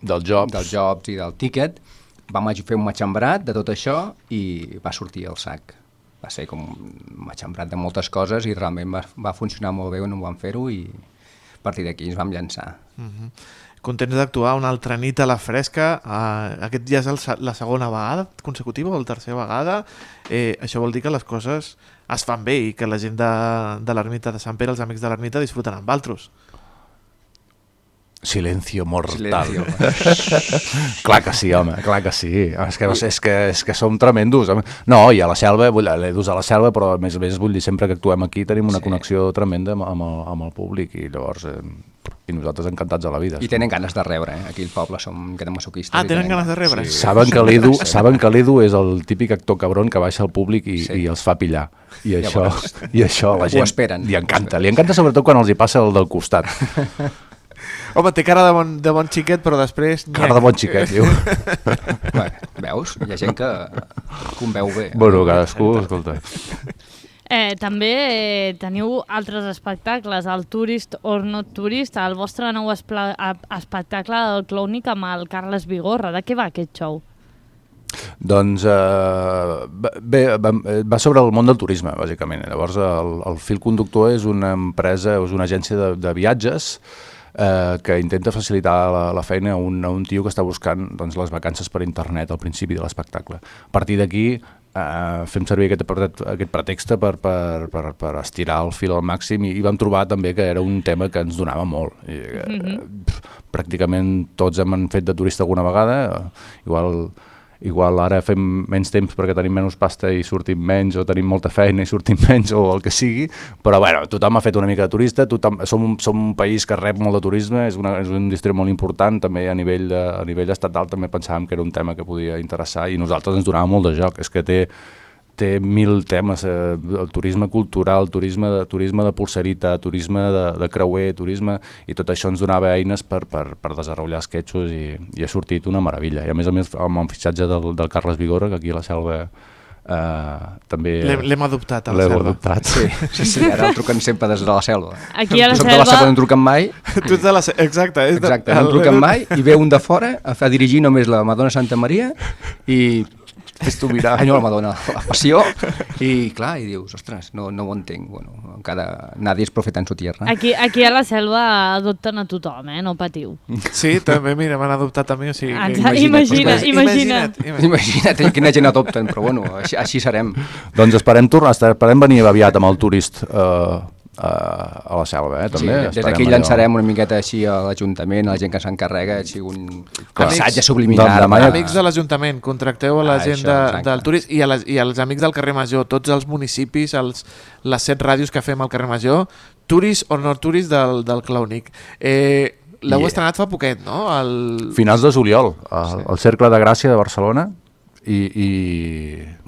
dels jobs. dels jobs i del tiquet, vam fer un matxembrat de tot això i va sortir el S A C. Va ser com un matxembrat de moltes coses i realment va, va funcionar molt bé on ho vam fer-ho i a partir d'aquí ens vam llançar. Uh-huh. Contents d'actuar una altra nit a la fresca. Uh, aquest ja és el, la segona vegada consecutiva o la tercera vegada. Eh, això vol dir que les coses es fan bé i que la gent de, de l'ermita de Sant Pere, els amics de l'ermita, disfruten amb altres. Silencio mortal. Silencio. Clar que sí, home, clar que sí. És que, és que, és que som tremendos. No, i a la selva, l'Edus a la selva, però a més a més vull dir, sempre que actuem aquí tenim una Sí. connexió tremenda amb, amb, el, amb el públic i llavors eh, i nosaltres encantats a la vida. I tenen ganes de rebre, eh? Aquí al poble som que masoquistes. Ah, i tenen ganes de rebre? Sí. Saben que l'Edu saben que l'Edu és el típic actor cabron que baixa al públic i, Sí. i els fa pillar. I això, Llavors, i això a la ho gent esperen. li encanta. Li encanta sobretot quan els hi passa el del costat. Home, té cara de bon, de bon xiquet, però després... Cara de bon xiquet, diu. Bé, veus? Hi ha gent que, que ho veu bé. Bueno, cadascú, escolta. Eh, també eh, teniu altres espectacles, el Tourist or Not Tourist, el vostre nou espla, a, espectacle del Clownic amb el Carles Vigorra. De què va aquest show? Doncs eh, bé, va, va sobre el món del turisme, bàsicament. Llavors, el, el fil conductor és una empresa, és una agència de, de viatges eh, que intenta facilitar la, la feina a un, a un tio que està buscant doncs, les vacances per internet al principi de l'espectacle. A partir d'aquí eh, fem servir aquest, aquest pretext per, per, per, per estirar el fil al màxim i, i vam trobar també que era un tema que ens donava molt. I, eh, mm-hmm. Pràcticament tots hem fet de turista alguna vegada, igual... igual ara fem menys temps perquè tenim menys pasta i sortim menys, o tenim molta feina i sortim menys, o el que sigui, però bueno, tothom ha fet una mica de turista, tothom, som, un, som un país que rep molt de turisme, és una, és una indústria molt important, també a nivell, de, a nivell estatal també pensàvem que era un tema que podia interessar i nosaltres ens donava molt de joc, és que té té mil temes, eh, el turisme cultural, turisme de, turisme de pulserita, turisme de, de creuer, turisme, i tot això ens donava eines per, per, per desenvolupar esquetxos i, i ha sortit una meravella. I a més a més amb el fitxatge del, del Carles Vigora, que aquí a la Selva eh, també... L'hem adoptat a la Selva. L'hem adoptat, sí. sí, sí, ara el truquen sempre des de la Selva. Aquí a la Soc Selva... de la Selva no em truquen mai. Tu ets de la Selva, exacte. És exacte, de... no em truquen mai, i ve un de fora a, a dirigir només la Madonna Santa Maria i... Fes tu mirar. Ai, no, la Madonna, la passió, i clar, i dius, ostres, no, no ho entenc, bueno, encara nadie és profeta en su tierra. Aquí, aquí a la Selva adopten a tothom, eh? No patiu. Sí, també, mira, m'han adoptat a mi, o sigui... Ens, imagina't, imagina't, imagina't. Imagina't, imagina't quina gent adopten, però bueno, així, així serem. Doncs esperem tornar, esperem venir aviat amb el turist eh, a la Selva, eh, també. Sí, des d'aquí llançarem una miqueta així a l'Ajuntament, a la gent que s'encarrega, així un missatge subliminal. Amics, amics de l'Ajuntament, contracteu a la ah, gent això, de, del turisme i, a les, i als amics del carrer Major, tots els municipis, els, les set ràdios que fem al carrer Major, turist o no turist del, del Clownic. Eh, L'heu yeah. estrenat fa poquet, no? El... Finals de juliol, al, sí. al Cercle de Gràcia de Barcelona, i... i...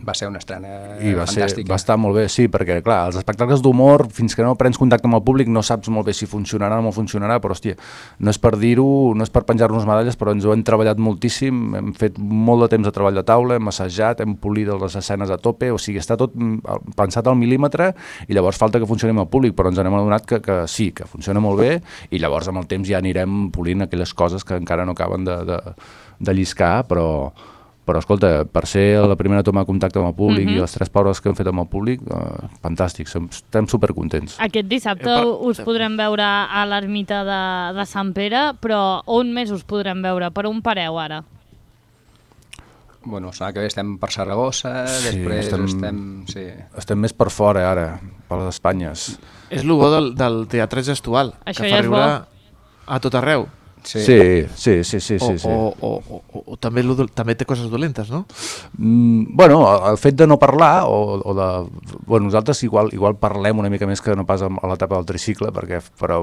va ser una estrena I va fantàstica. Ser, va estar molt bé, sí, perquè clar, els espectacles d'humor, fins que no prens contacte amb el públic, no saps molt bé si funcionarà o no funcionarà, però hòstia, no és per dir-ho, no és per penjar-nos medalles, però ens ho hem treballat moltíssim, hem fet molt de temps de treball de taula, hem assajat, hem polit les escenes a tope, o sigui, està tot pensat al mil·límetre, i llavors falta que funcioni amb el públic, però ens n'hem adonat que, que sí, que funciona molt bé, i llavors amb el temps ja anirem polint aquelles coses que encara no acaben de, de, de lliscar, però... Però, escolta, per ser la primera toma de contacte amb el públic mm-hmm. i les tres paures que hem fet amb el públic, eh, fantàstic, som, estem supercontents. Aquest dissabte eh, per... us podrem veure a l'ermita de, de Sant Pere, però on més us podrem veure? Per on pareu ara? Bueno, sembla que estem per Saragossa, sí, després estem... Estem, sí. estem més per fora ara, per les Espanyes. És el bo del, del teatre gestual, això que ja fa riure a tot arreu. Sí, sí, sí, sí, sí, o, sí. O, o, o, o, o també, també té coses dolentes, no? Mm, bueno, el fet de no parlar o, o de... Bueno, nosaltres igual, igual parlem una mica més que no pas a l'etapa del tricicle, perquè, però,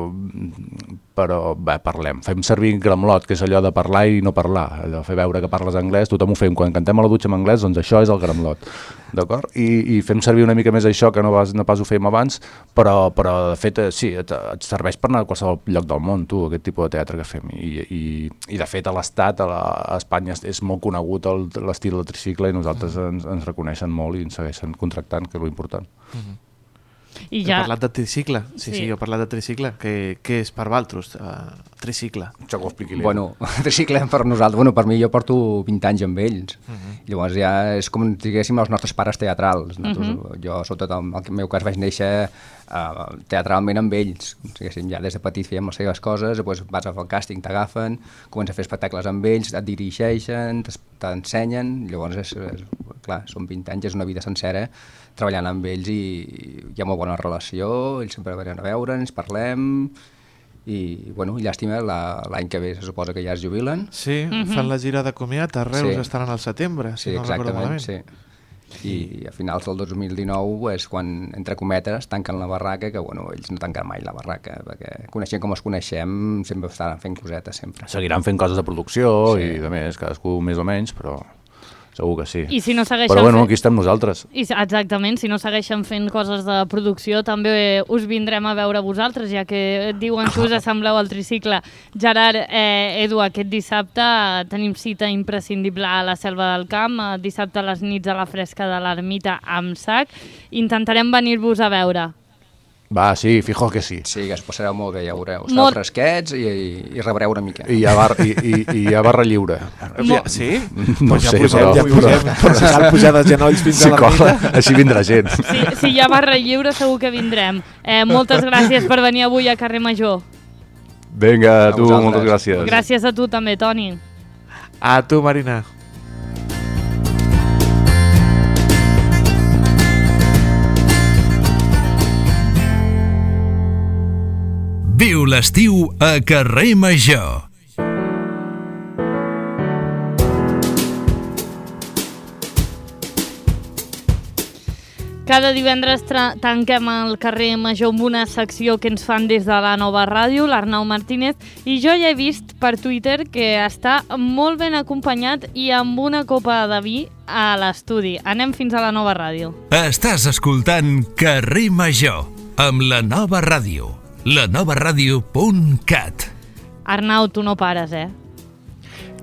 però bé, parlem. Fem servir gramlot, que és allò de parlar i no parlar, allò de fer veure que parles anglès, tothom ho fem. Quan cantem a la dutxa en anglès, doncs això és el gramlot, d'acord? I, i fem servir una mica més això, que no pas, no pas ho fèiem abans, però, però de fet, sí, et, et serveix per anar a qualsevol lloc del món, tu, aquest tipus de teatre que fem. I, i, i de fet a l'Estat, a, la, a Espanya és molt conegut l'estil del tricicle i nosaltres mm. ens, ens reconeixen molt i ens segueixen contractant, que és l'important. Mm-hmm. I ja... He parlat de tricicle, sí, sí, sí, jo he parlat de tricicle. Què, què és per Valtros, uh, tricicle? Això que ho expliqui l'Eva. Bueno, tricicle per nosaltres, bueno, per mi jo porto vint anys amb ells, uh-huh. llavors ja és com diguéssim els nostres pares teatrals. Uh-huh. Jo, sobretot en el meu cas, vaig néixer uh, teatralment amb ells, diguéssim, ja des de petit fèiem les seves coses, després vas a fer el càsting, t'agafen, comences a fer espectacles amb ells, et dirigeixen, t'ensenyen, llavors és, és, clar, són vint anys, és una vida sencera treballant amb ells i hi ha molt bona relació, ells sempre venen a veure, ens parlem i, bueno, llàstima, l'any que ve se suposa que ja es jubilen. Sí, mm-hmm. fan la gira de comiat, a Reus sí. estaran al setembre, si sí, no recordo malament. Sí, i a finals del dos mil dinou és quan, entre cometes, tanquen la barraca, que bueno, ells no tanquen mai la barraca, perquè coneixent com els coneixem, sempre estaran fent cosetes, sempre. Seguiran fent coses de producció sí. i de més, cadascú més o menys, però... Segur que sí. I si no segueixen Però bueno, fent... aquí estem nosaltres. I, exactament, si no segueixen fent coses de producció, també us vindrem a veure vosaltres, ja que diuen que us assembleu al tricicle. Gerard, eh, Edu, aquest dissabte tenim cita imprescindible a la Selva del Camp, dissabte a les nits a la fresca de l'Ermita amb sac. Intentarem venir-vos a veure. Va, sí, fijo que sí. Sí, que es passareu molt bé, ja veureu. Sereu molt... fresquets i, i rebreu una mica. I hi ha, bar, i, i, i hi ha barra lliure. Molt... Sí? No pues ja sé, pugem, però... Ja pugem, però si cal pujar de genolls fins si a l'ermita. Així vindrà gent. Si, si hi ha barra lliure segur que vindrem. Eh, moltes gràcies per venir avui a Carrer Major. Vinga, a tu, moltes gràcies. Gràcies a tu també, Toni. A tu, Marina. Viu l'estiu a Carrer Major. Cada divendres tanquem el carrer Major amb una secció que ens fan des de la nova ràdio, l'Arnau Martínez, i jo ja he vist per Twitter que està molt ben acompanyat i amb una copa de vi a l'estudi. Anem fins a la nova ràdio. Estàs escoltant Carrer Major amb la nova ràdio, la nova ràdio punt cat. Arnau, tu no pares, eh?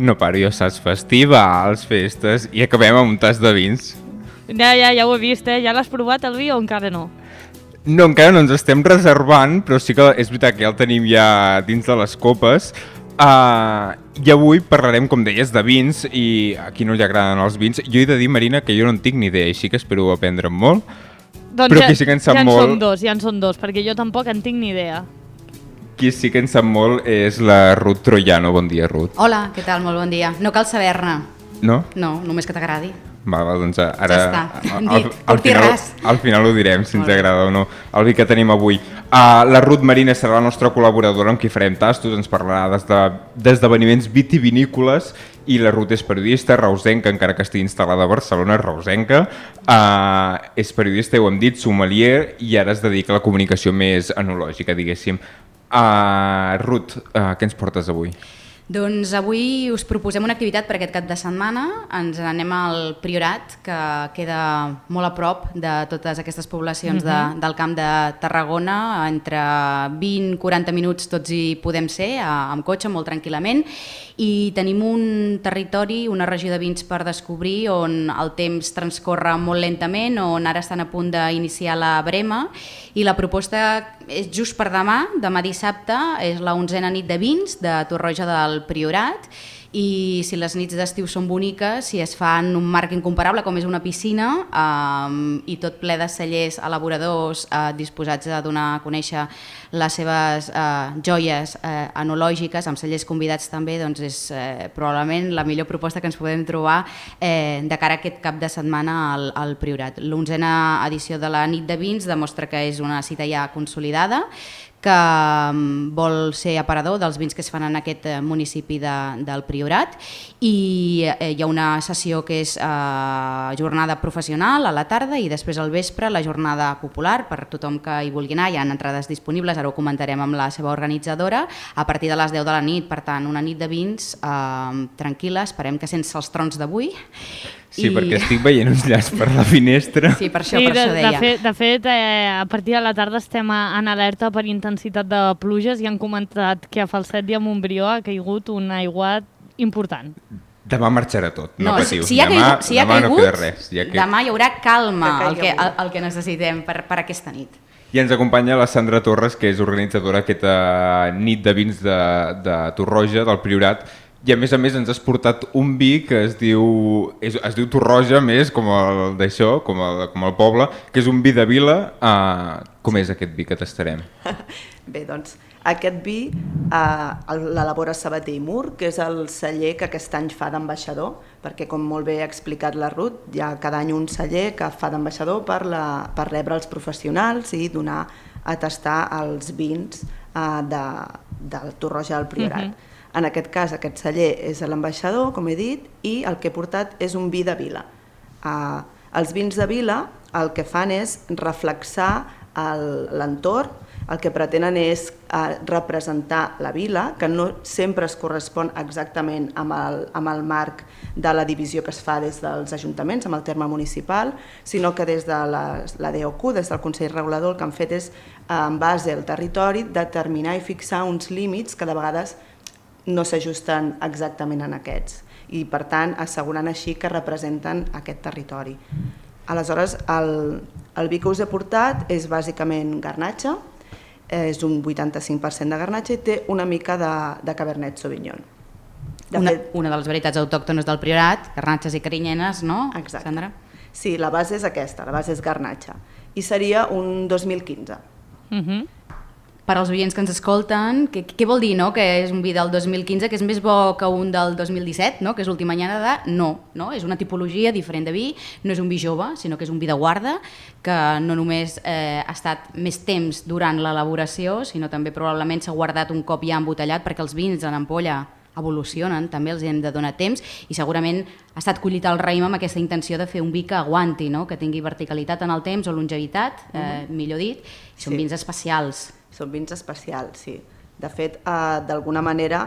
No paro, jo saps, festivals, festes i acabem amb un tas de vins. Ja, ja, ja ho he vist, eh? Ja l'has provat el vi o encara no? No, encara no ens estem reservant, però sí que és veritat que ja el tenim ja dins de les copes. Uh, I avui parlarem, com deies, de vins, i a qui no li agraden els vins. Jo he de dir, Marina, que jo no en tinc ni idea, així que espero aprendre'n molt. Doncs però ja, qui sí que en sap ja en molt... són dos, ja en són dos, perquè jo tampoc en tinc ni idea. Qui sí que en sap molt és la Ruth Troiano. Bon dia, Ruth. Hola, què tal? Molt bon dia. No cal saber-ne. No? No, només que t'agradi. Va, va, doncs ara ja està. Al, al, al, final, al final ho direm, si ens agrada o no, el vi que tenim avui. Uh, la Ruth Marina serà la nostra col·laboradora amb qui farem tastos, ens parlarà d'esdeveniments vitivinícoles, i la Ruth és periodista, reusenca, encara que estigui instal·lada a Barcelona, reusenca, uh, és periodista, ho hem dit, sommelier, i ara es dedica a la comunicació més enològica, diguéssim. Uh, Ruth, uh, què ens portes avui? Doncs avui us proposem una activitat per aquest cap de setmana. Ens anem al Priorat, que queda molt a prop de totes aquestes poblacions de, del Camp de Tarragona. Entre vint a quaranta minuts tots hi podem ser, amb cotxe, molt tranquil·lament. I tenim un territori, una regió de vins per descobrir, on el temps transcorre molt lentament, on ara estan a punt d'iniciar la brema. I la proposta és just per demà, demà dissabte, és la onzena nit de vins de Torroja del Priorat, i si les nits d'estiu són boniques, si es fa en un marc incomparable com és una piscina, eh, i tot ple de cellers elaboradors eh, disposats a donar a conèixer les seves eh, joies eh, enològiques, amb cellers convidats també, doncs és eh, probablement la millor proposta que ens podem trobar eh, de cara a aquest cap de setmana al, al Priorat. L'onzena edició de la nit de vins demostra que és una cita ja consolidada, que vol ser aparador dels vins que es fan en aquest municipi de, del Priorat, i eh, hi ha una sessió que és eh, jornada professional a la tarda, i després al vespre la jornada popular per tothom que hi vulgui anar. Hi ha entrades disponibles, ara ho comentarem amb la seva organitzadora, a partir de les deu de la nit. Per tant, una nit de vins eh, tranquil·la, esperem que sense els trons d'avui. Sí, I... perquè estic veient uns llaç per la finestra. Sí, per això, sí, per de, això deia. De fet, de fet eh, a partir de la tarda estem a, en alerta per intensitat de pluges, i han comentat que a Falset i a Montbrió ha caigut un aiguat important. Demà marxarà tot, no, no patiu. Si, si hi ha demà caigut, si hi ha demà caigut, no queda res. Ja que... demà hi haurà calma, que el, que, el, el que necessitem per, per aquesta nit. I ens acompanya la Sandra Torres, que és organitzadora d'aquesta nit de vins de, de Torroja, del Priorat, i a més a més ens has portat un vi que es diu, es, es diu Torroja, més com el d'això, com, el, com el poble, que és un vi de vila. Uh, com és aquest vi que tastarem? Bé, doncs aquest vi uh, l'elabora Sabater i Mur, que és el celler que aquest any fa d'ambaixador, perquè com molt bé ha explicat la Ruth, hi ha cada any un celler que fa d'ambaixador per, la, per rebre els professionals i donar a tastar els vins uh, de, del Torroja del Priorat. Uh-huh. En aquest cas, aquest celler és l'ambaixador, com he dit, i el que he portat és un vi de vila. Uh, els vins de vila el que fan és reflexar l'entorn, el que pretenen és uh, representar la vila, que no sempre es correspon exactament amb el, amb el marc de la divisió que es fa des dels ajuntaments, amb el terme municipal, sinó que des de la, la D O C U, des del Consell Regulador, el que han fet és, en base al territori, determinar i fixar uns límits que de vegades no s'ajusten exactament en aquests, i per tant assegurant així que representen aquest territori. Aleshores, el, el vi que us he portat és bàsicament garnatxa, és un vuitanta-cinc per cent de garnatxa i té una mica de, de Cabernet Sauvignon. De una, fet, una de les varietats autòctones del Priorat, garnatxes i carinyenes, no? Exacte. Sandra? Sí, la base és aquesta, la base és garnatxa, i seria un dos mil quinze. Uh-huh. Per als oients que ens escolten, què, què vol dir, no? Que és un vi del dos mil quinze, que és més bo que un del dos mil disset, no? Que és l'última anyada? No, no, és una tipologia diferent de vi, no és un vi jove, sinó que és un vi de guarda, que no només eh, ha estat més temps durant l'elaboració, sinó també probablement s'ha guardat un cop ja embotellat, perquè els vins en ampolla evolucionen, també els hem de donar temps i segurament ha estat collit el raïm amb aquesta intenció de fer un vi que aguanti, no? Que tingui verticalitat en el temps o longevitat, eh, mm-hmm. millor dit, i són sí. vins especials. Són vins especials, sí. De fet, eh, d'alguna manera,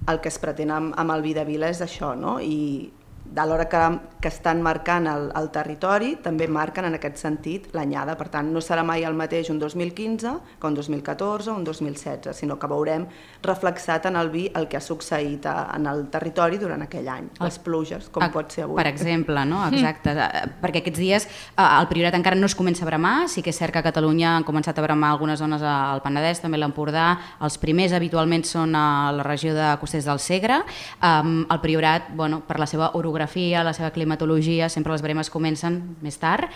el que es pretén amb, amb el vi de vila és això, no? I de l'hora que, que estan marcant el, el territori, també marquen en aquest sentit l'anyada. Per tant, no serà mai el mateix un dos mil quinze que un dos mil catorze o un dos mil setze, sinó que veurem reflexat en el vi el que ha succeït a, en el territori durant aquell any. Les pluges, com a, pot ser avui. Per exemple, no? Exacte. Mm. Perquè aquests dies el Priorat encara no es comença a bramar, sí que és cert que a Catalunya han començat a bramar algunes zones al Penedès, també l'Empordà. Els primers habitualment són a la regió de Costers del Segre. Um, el Priorat, bueno, per la seva orografia, la seva climatologia, sempre les bremes comencen més tard.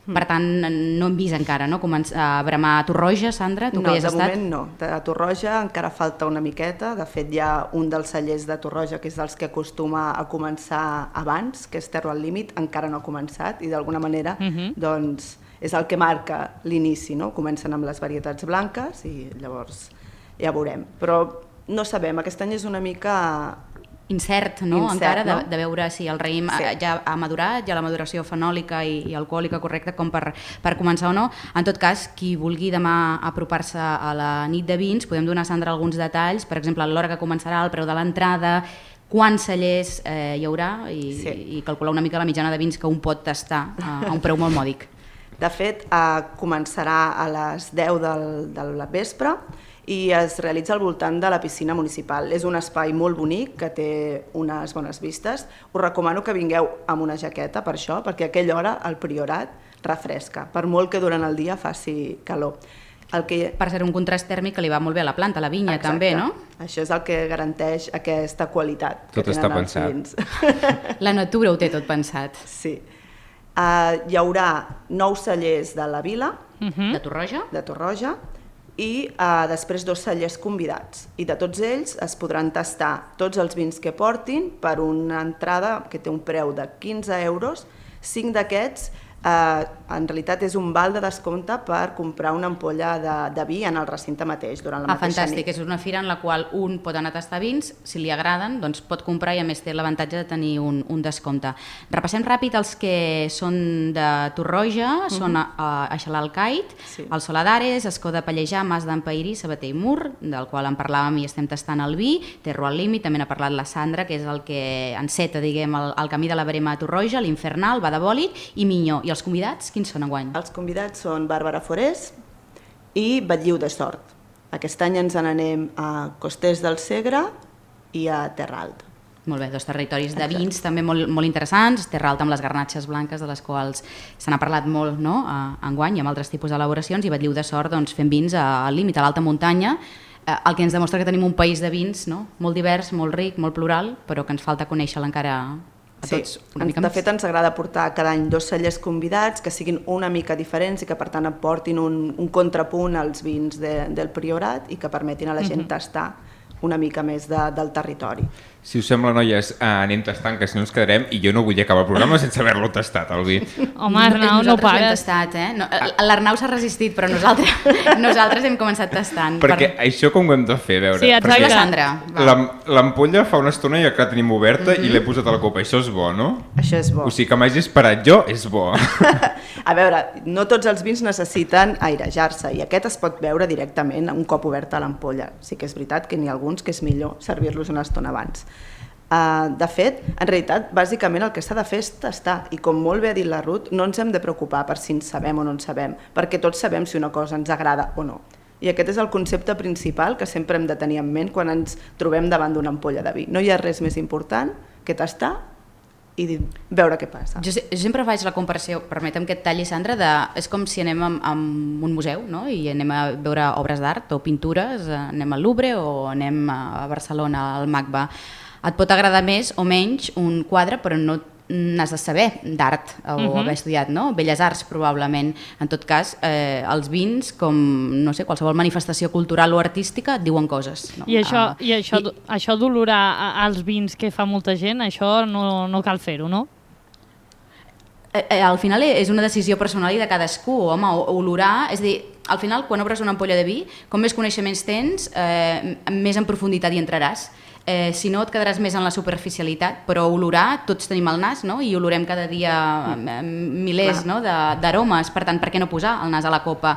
Per tant, no hem vist encara no? Començar a bramar a Torroja, Sandra? Tu no, que hi has de estat? moment no. De Torroja encara falta una miqueta. De fet, hi ha un dels cellers de Torroja que és dels que acostuma a començar abans, que és Terro al Límit, encara no ha començat i d'alguna manera uh-huh. doncs, és el que marca l'inici. No? Comencen amb les varietats blanques i llavors ja veurem. Però no sabem, aquest any és una mica incert, no? Incert, encara, no? De, de veure si el raïm sí. ja ha madurat, ja la maduració fenòlica i, i alcohòlica correcta com per, per començar o no. En tot cas, qui vulgui demà apropar-se a la nit de vins, podem donar a Sandra alguns detalls, per exemple, l'hora que començarà, el preu de l'entrada, quants cellers eh, hi haurà i, sí. i calcular una mica la mitjana de vins que un pot tastar a, a un preu molt mòdic. De fet, eh, començarà a les deu del, del vespre i es realitza al voltant de la piscina municipal. És un espai molt bonic que té unes bones vistes. Us recomano que vingueu amb una jaqueta per això, perquè a aquella hora el Priorat refresca, per molt que durant el dia faci calor. El que... Per ser un contrast tèrmic que li va molt bé a la planta, a la vinya. Exacte. També, no? Això és el que garanteix aquesta qualitat. Tot que està pensat. La natura ho té tot pensat. Sí. Uh, hi haurà nou cellers de la vila, uh-huh. de Torroja, de Torroja i uh, després dos cellers convidats. I de tots ells es podran tastar tots els vins que portin per una entrada que té un preu de quinze euros. Cinc d'aquests Uh, en realitat és un val de descompte per comprar una ampolla de, de vi en el recinte mateix durant la ah, mateixa fantàstic. nit. És una fira en la qual un pot anar a tastar vins, si li agraden, doncs pot comprar i a més té l'avantatge de tenir un, un descompte. Repassem ràpid els que són de Torroja, uh-huh. són a, a Xalalcait, sí. el Soladares, Escó de Pallejà, Mas d'Empairí, Sabater i Mur, del qual en parlàvem i estem tastant el vi, Terro al Límit, també n'ha parlat la Sandra, que és el que enceta, diguem, el, el camí de la Verema a Torroja, l'Infernal, Badabòlit i Minyó. I els convidats, quins són enguany? Els convidats són Bàrbara Forés i Batlliu de Sort. Aquest any ens n'anem a Costers del Segre i a Terra Alta. Molt bé, dos territoris de vins Exacte. també molt, molt interessants, Terra Alta amb les garnatxes blanques de les quals se n'ha parlat molt no? a, enguany i amb altres tipus d'elaboracions, i Batlliu de Sort doncs, fent vins al límit, a l'alta muntanya, eh, el que ens demostra que tenim un país de vins no? molt divers, molt ric, molt plural, però que ens falta conèixer-lo encara a tots. Sí, de fet ens agrada portar cada any dos cellers convidats que siguin una mica diferents i que per tant aportin un, un contrapunt als vins de, del Priorat i que permetin a la gent uh-huh. tastar una mica més de, del territori. Si us sembla, noies, eh, anem tastant, que si no ens quedarem, i jo no vull acabar el programa sense haver-lo tastat, el vi. Home, Arnau, no pares. Tastat, eh? no, L'Arnau s'ha resistit, però nosaltres, nosaltres hem començat tastant. Perquè per... això com ho hem de fer, a veure? Sí, exacte. Sandra. L'ampolla fa una estona ja que la tenim oberta mm-hmm. i l'he posat a la copa. Això és bo, no? Això és bo. O sigui que m'hagi esperat jo, és bo. A veure, no tots els vins necessiten airejar-se i aquest es pot veure directament un cop oberta l'ampolla. Sí que és veritat que n'hi ha alguns que és millor servir-los una estona abans. Uh, de fet, en realitat, bàsicament el que s'ha de fer és tastar i com molt bé ha dit la Ruth, no ens hem de preocupar per si en sabem o no en sabem, perquè tots sabem si una cosa ens agrada o no. I aquest és el concepte principal que sempre hem de tenir en ment quan ens trobem davant d'una ampolla de vi. No hi ha res més important que tastar i veure què passa. Jo, jo sempre faig la comparació, permetem que et talli, Sandra, de, és com si anem a, a un museu no? I anem a veure obres d'art o pintures, anem al Louvre o anem a Barcelona, al MACBA. Et pot agradar més o menys un quadre, però no n'has de saber d'art o uh-huh. haver estudiat, no? Belles Arts, probablement. En tot cas, eh, els vins, com no sé, qualsevol manifestació cultural o artística, et diuen coses. No? I, això, uh, i això, i... això d'olorar als vins que fa molta gent, això no, no cal fer-ho, no? Eh, eh, al final és una decisió personal i de cadascú. Home, olorar, és a dir, al final, quan obres una ampolla de vi, com més coneixements tens, eh, més en profunditat hi entraràs. Eh, si no et quedaràs més en la superficialitat, però olorar, tots tenim el nas, no? I olorem cada dia eh, milers no? d'aromes, per tant, per què no posar el nas a la copa?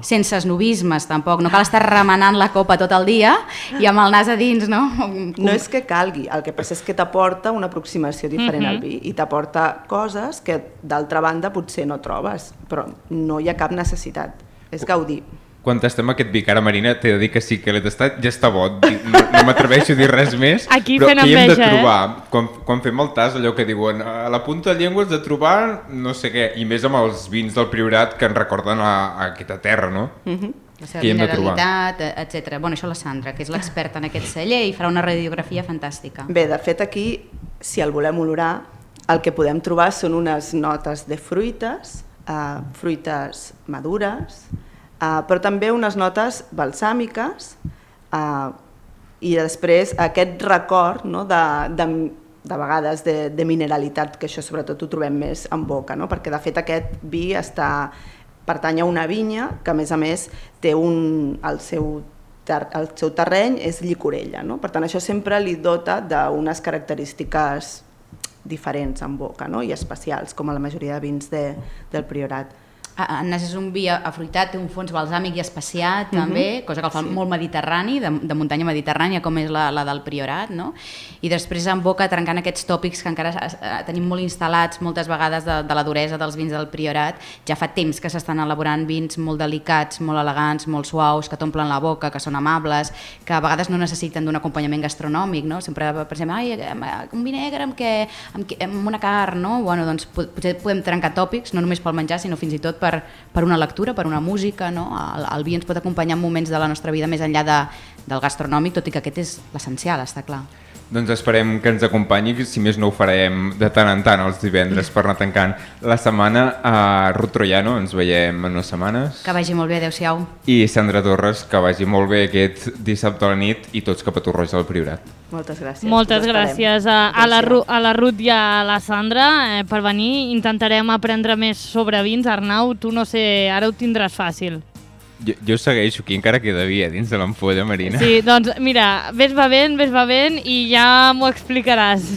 Sense esnovismes, tampoc, no cal estar remenant la copa tot el dia i amb el nas a dins, no? No és que calgui, el que passa és que t'aporta una aproximació diferent al vi i t'aporta coses que d'altra banda potser no trobes, però no hi ha cap necessitat, és gaudir. Quan tastem aquest vi, cara Marina, t'he de dir que sí que l'he tastat, ja està bo, no, no m'atreveixo a dir res més, aquí però què hi hem de enveja, trobar? Eh? Quan, quan fem el tas, allò que diuen, a la punta de llengua has de trobar no sé què, i més amb els vins del Priorat que ens recorden a, a aquesta terra, no? Uh-huh. La seva mineralitat, etcètera. Bueno, això la Sandra, que és l'experta en aquest celler i farà una radiografia fantàstica. Bé, de fet aquí, si el volem olorar, el que podem trobar són unes notes de fruites, uh, fruites madures, Uh, però també unes notes balsàmiques uh, i després aquest record no, de, de, de vegades de, de mineralitat, que això sobretot ho trobem més en boca, no? Perquè de fet aquest vi està, pertany a una vinya que a més a més té un, el, seu ter, el seu terreny és llicorella, no? Per tant això sempre li dota d'unes característiques diferents en boca, no? I especials, com a la majoria de vins de, del Priorat. El nas és un vi afruitat, té un fons balsàmic i especiat també, uh-huh. cosa que el fa sí. molt mediterrani, de, de muntanya mediterrània com és la, la del Priorat, no? I després en boca trencant aquests tòpics que encara eh, tenim molt instal·lats moltes vegades de, de la duresa dels vins del Priorat. Ja fa temps que s'estan elaborant vins molt delicats, molt elegants, molt suaus, que t'omplen la boca, que són amables, que a vegades no necessiten d'un acompanyament gastronòmic, no? Sempre pensem, ai, un vi negre amb, què, amb, amb una carn, no? Bueno, doncs potser podem trencar tòpics, no només pel menjar, sinó fins i tot per, per una lectura, per una música, no? El, el vi ens pot acompanyar en moments de la nostra vida més enllà de, del gastronòmic, tot i que aquest és l'essencial, està clar. Doncs esperem que ens acompanyi, si més no ho farem de tant en tant els divendres per anar tancant la setmana. A Ruth Troiano, ens veiem en unes setmanes. Que vagi molt bé, adeu-siau. I Sandra Torres, que vagi molt bé aquest dissabte a la nit i tots cap a Torroja del Priorat. Moltes gràcies. Moltes gràcies a, a, la Ru, a la Ruth i a la Sandra eh, per venir. Intentarem aprendre més sobre vins. Arnau, tu no sé, ara ho tindràs fàcil. Jo, jo segueixo aquí, encara queda vi dins de l'ampolla, Marina. Sí, doncs mira, ves bevent, ves bevent i ja m'ho explicaràs.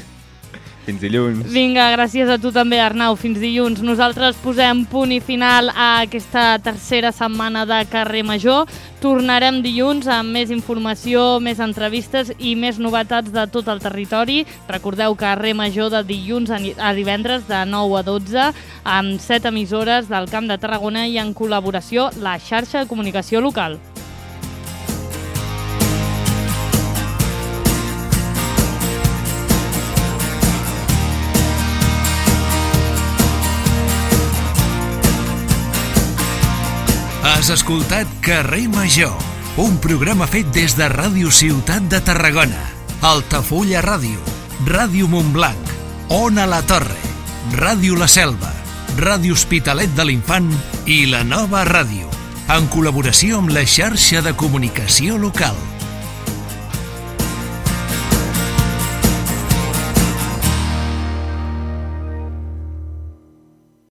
Fins dilluns. Vinga, gràcies a tu també, Arnau. Fins dilluns. Nosaltres posem punt i final a aquesta tercera setmana de Carrer Major. Tornarem dilluns amb més informació, més entrevistes i més novetats de tot el territori. Recordeu Carrer Major de dilluns a divendres de nou a dotze amb set emissores del Camp de Tarragona i en col·laboració la xarxa de comunicació local. Has escoltat Carrer Major, un programa fet des de Ràdio Ciutat de Tarragona, Altafulla Ràdio, Ràdio Montblanc, Ona la Torre, Ràdio La Selva, Ràdio Hospitalet de l'Infant i la Nova Ràdio, en col·laboració amb la xarxa de comunicació local.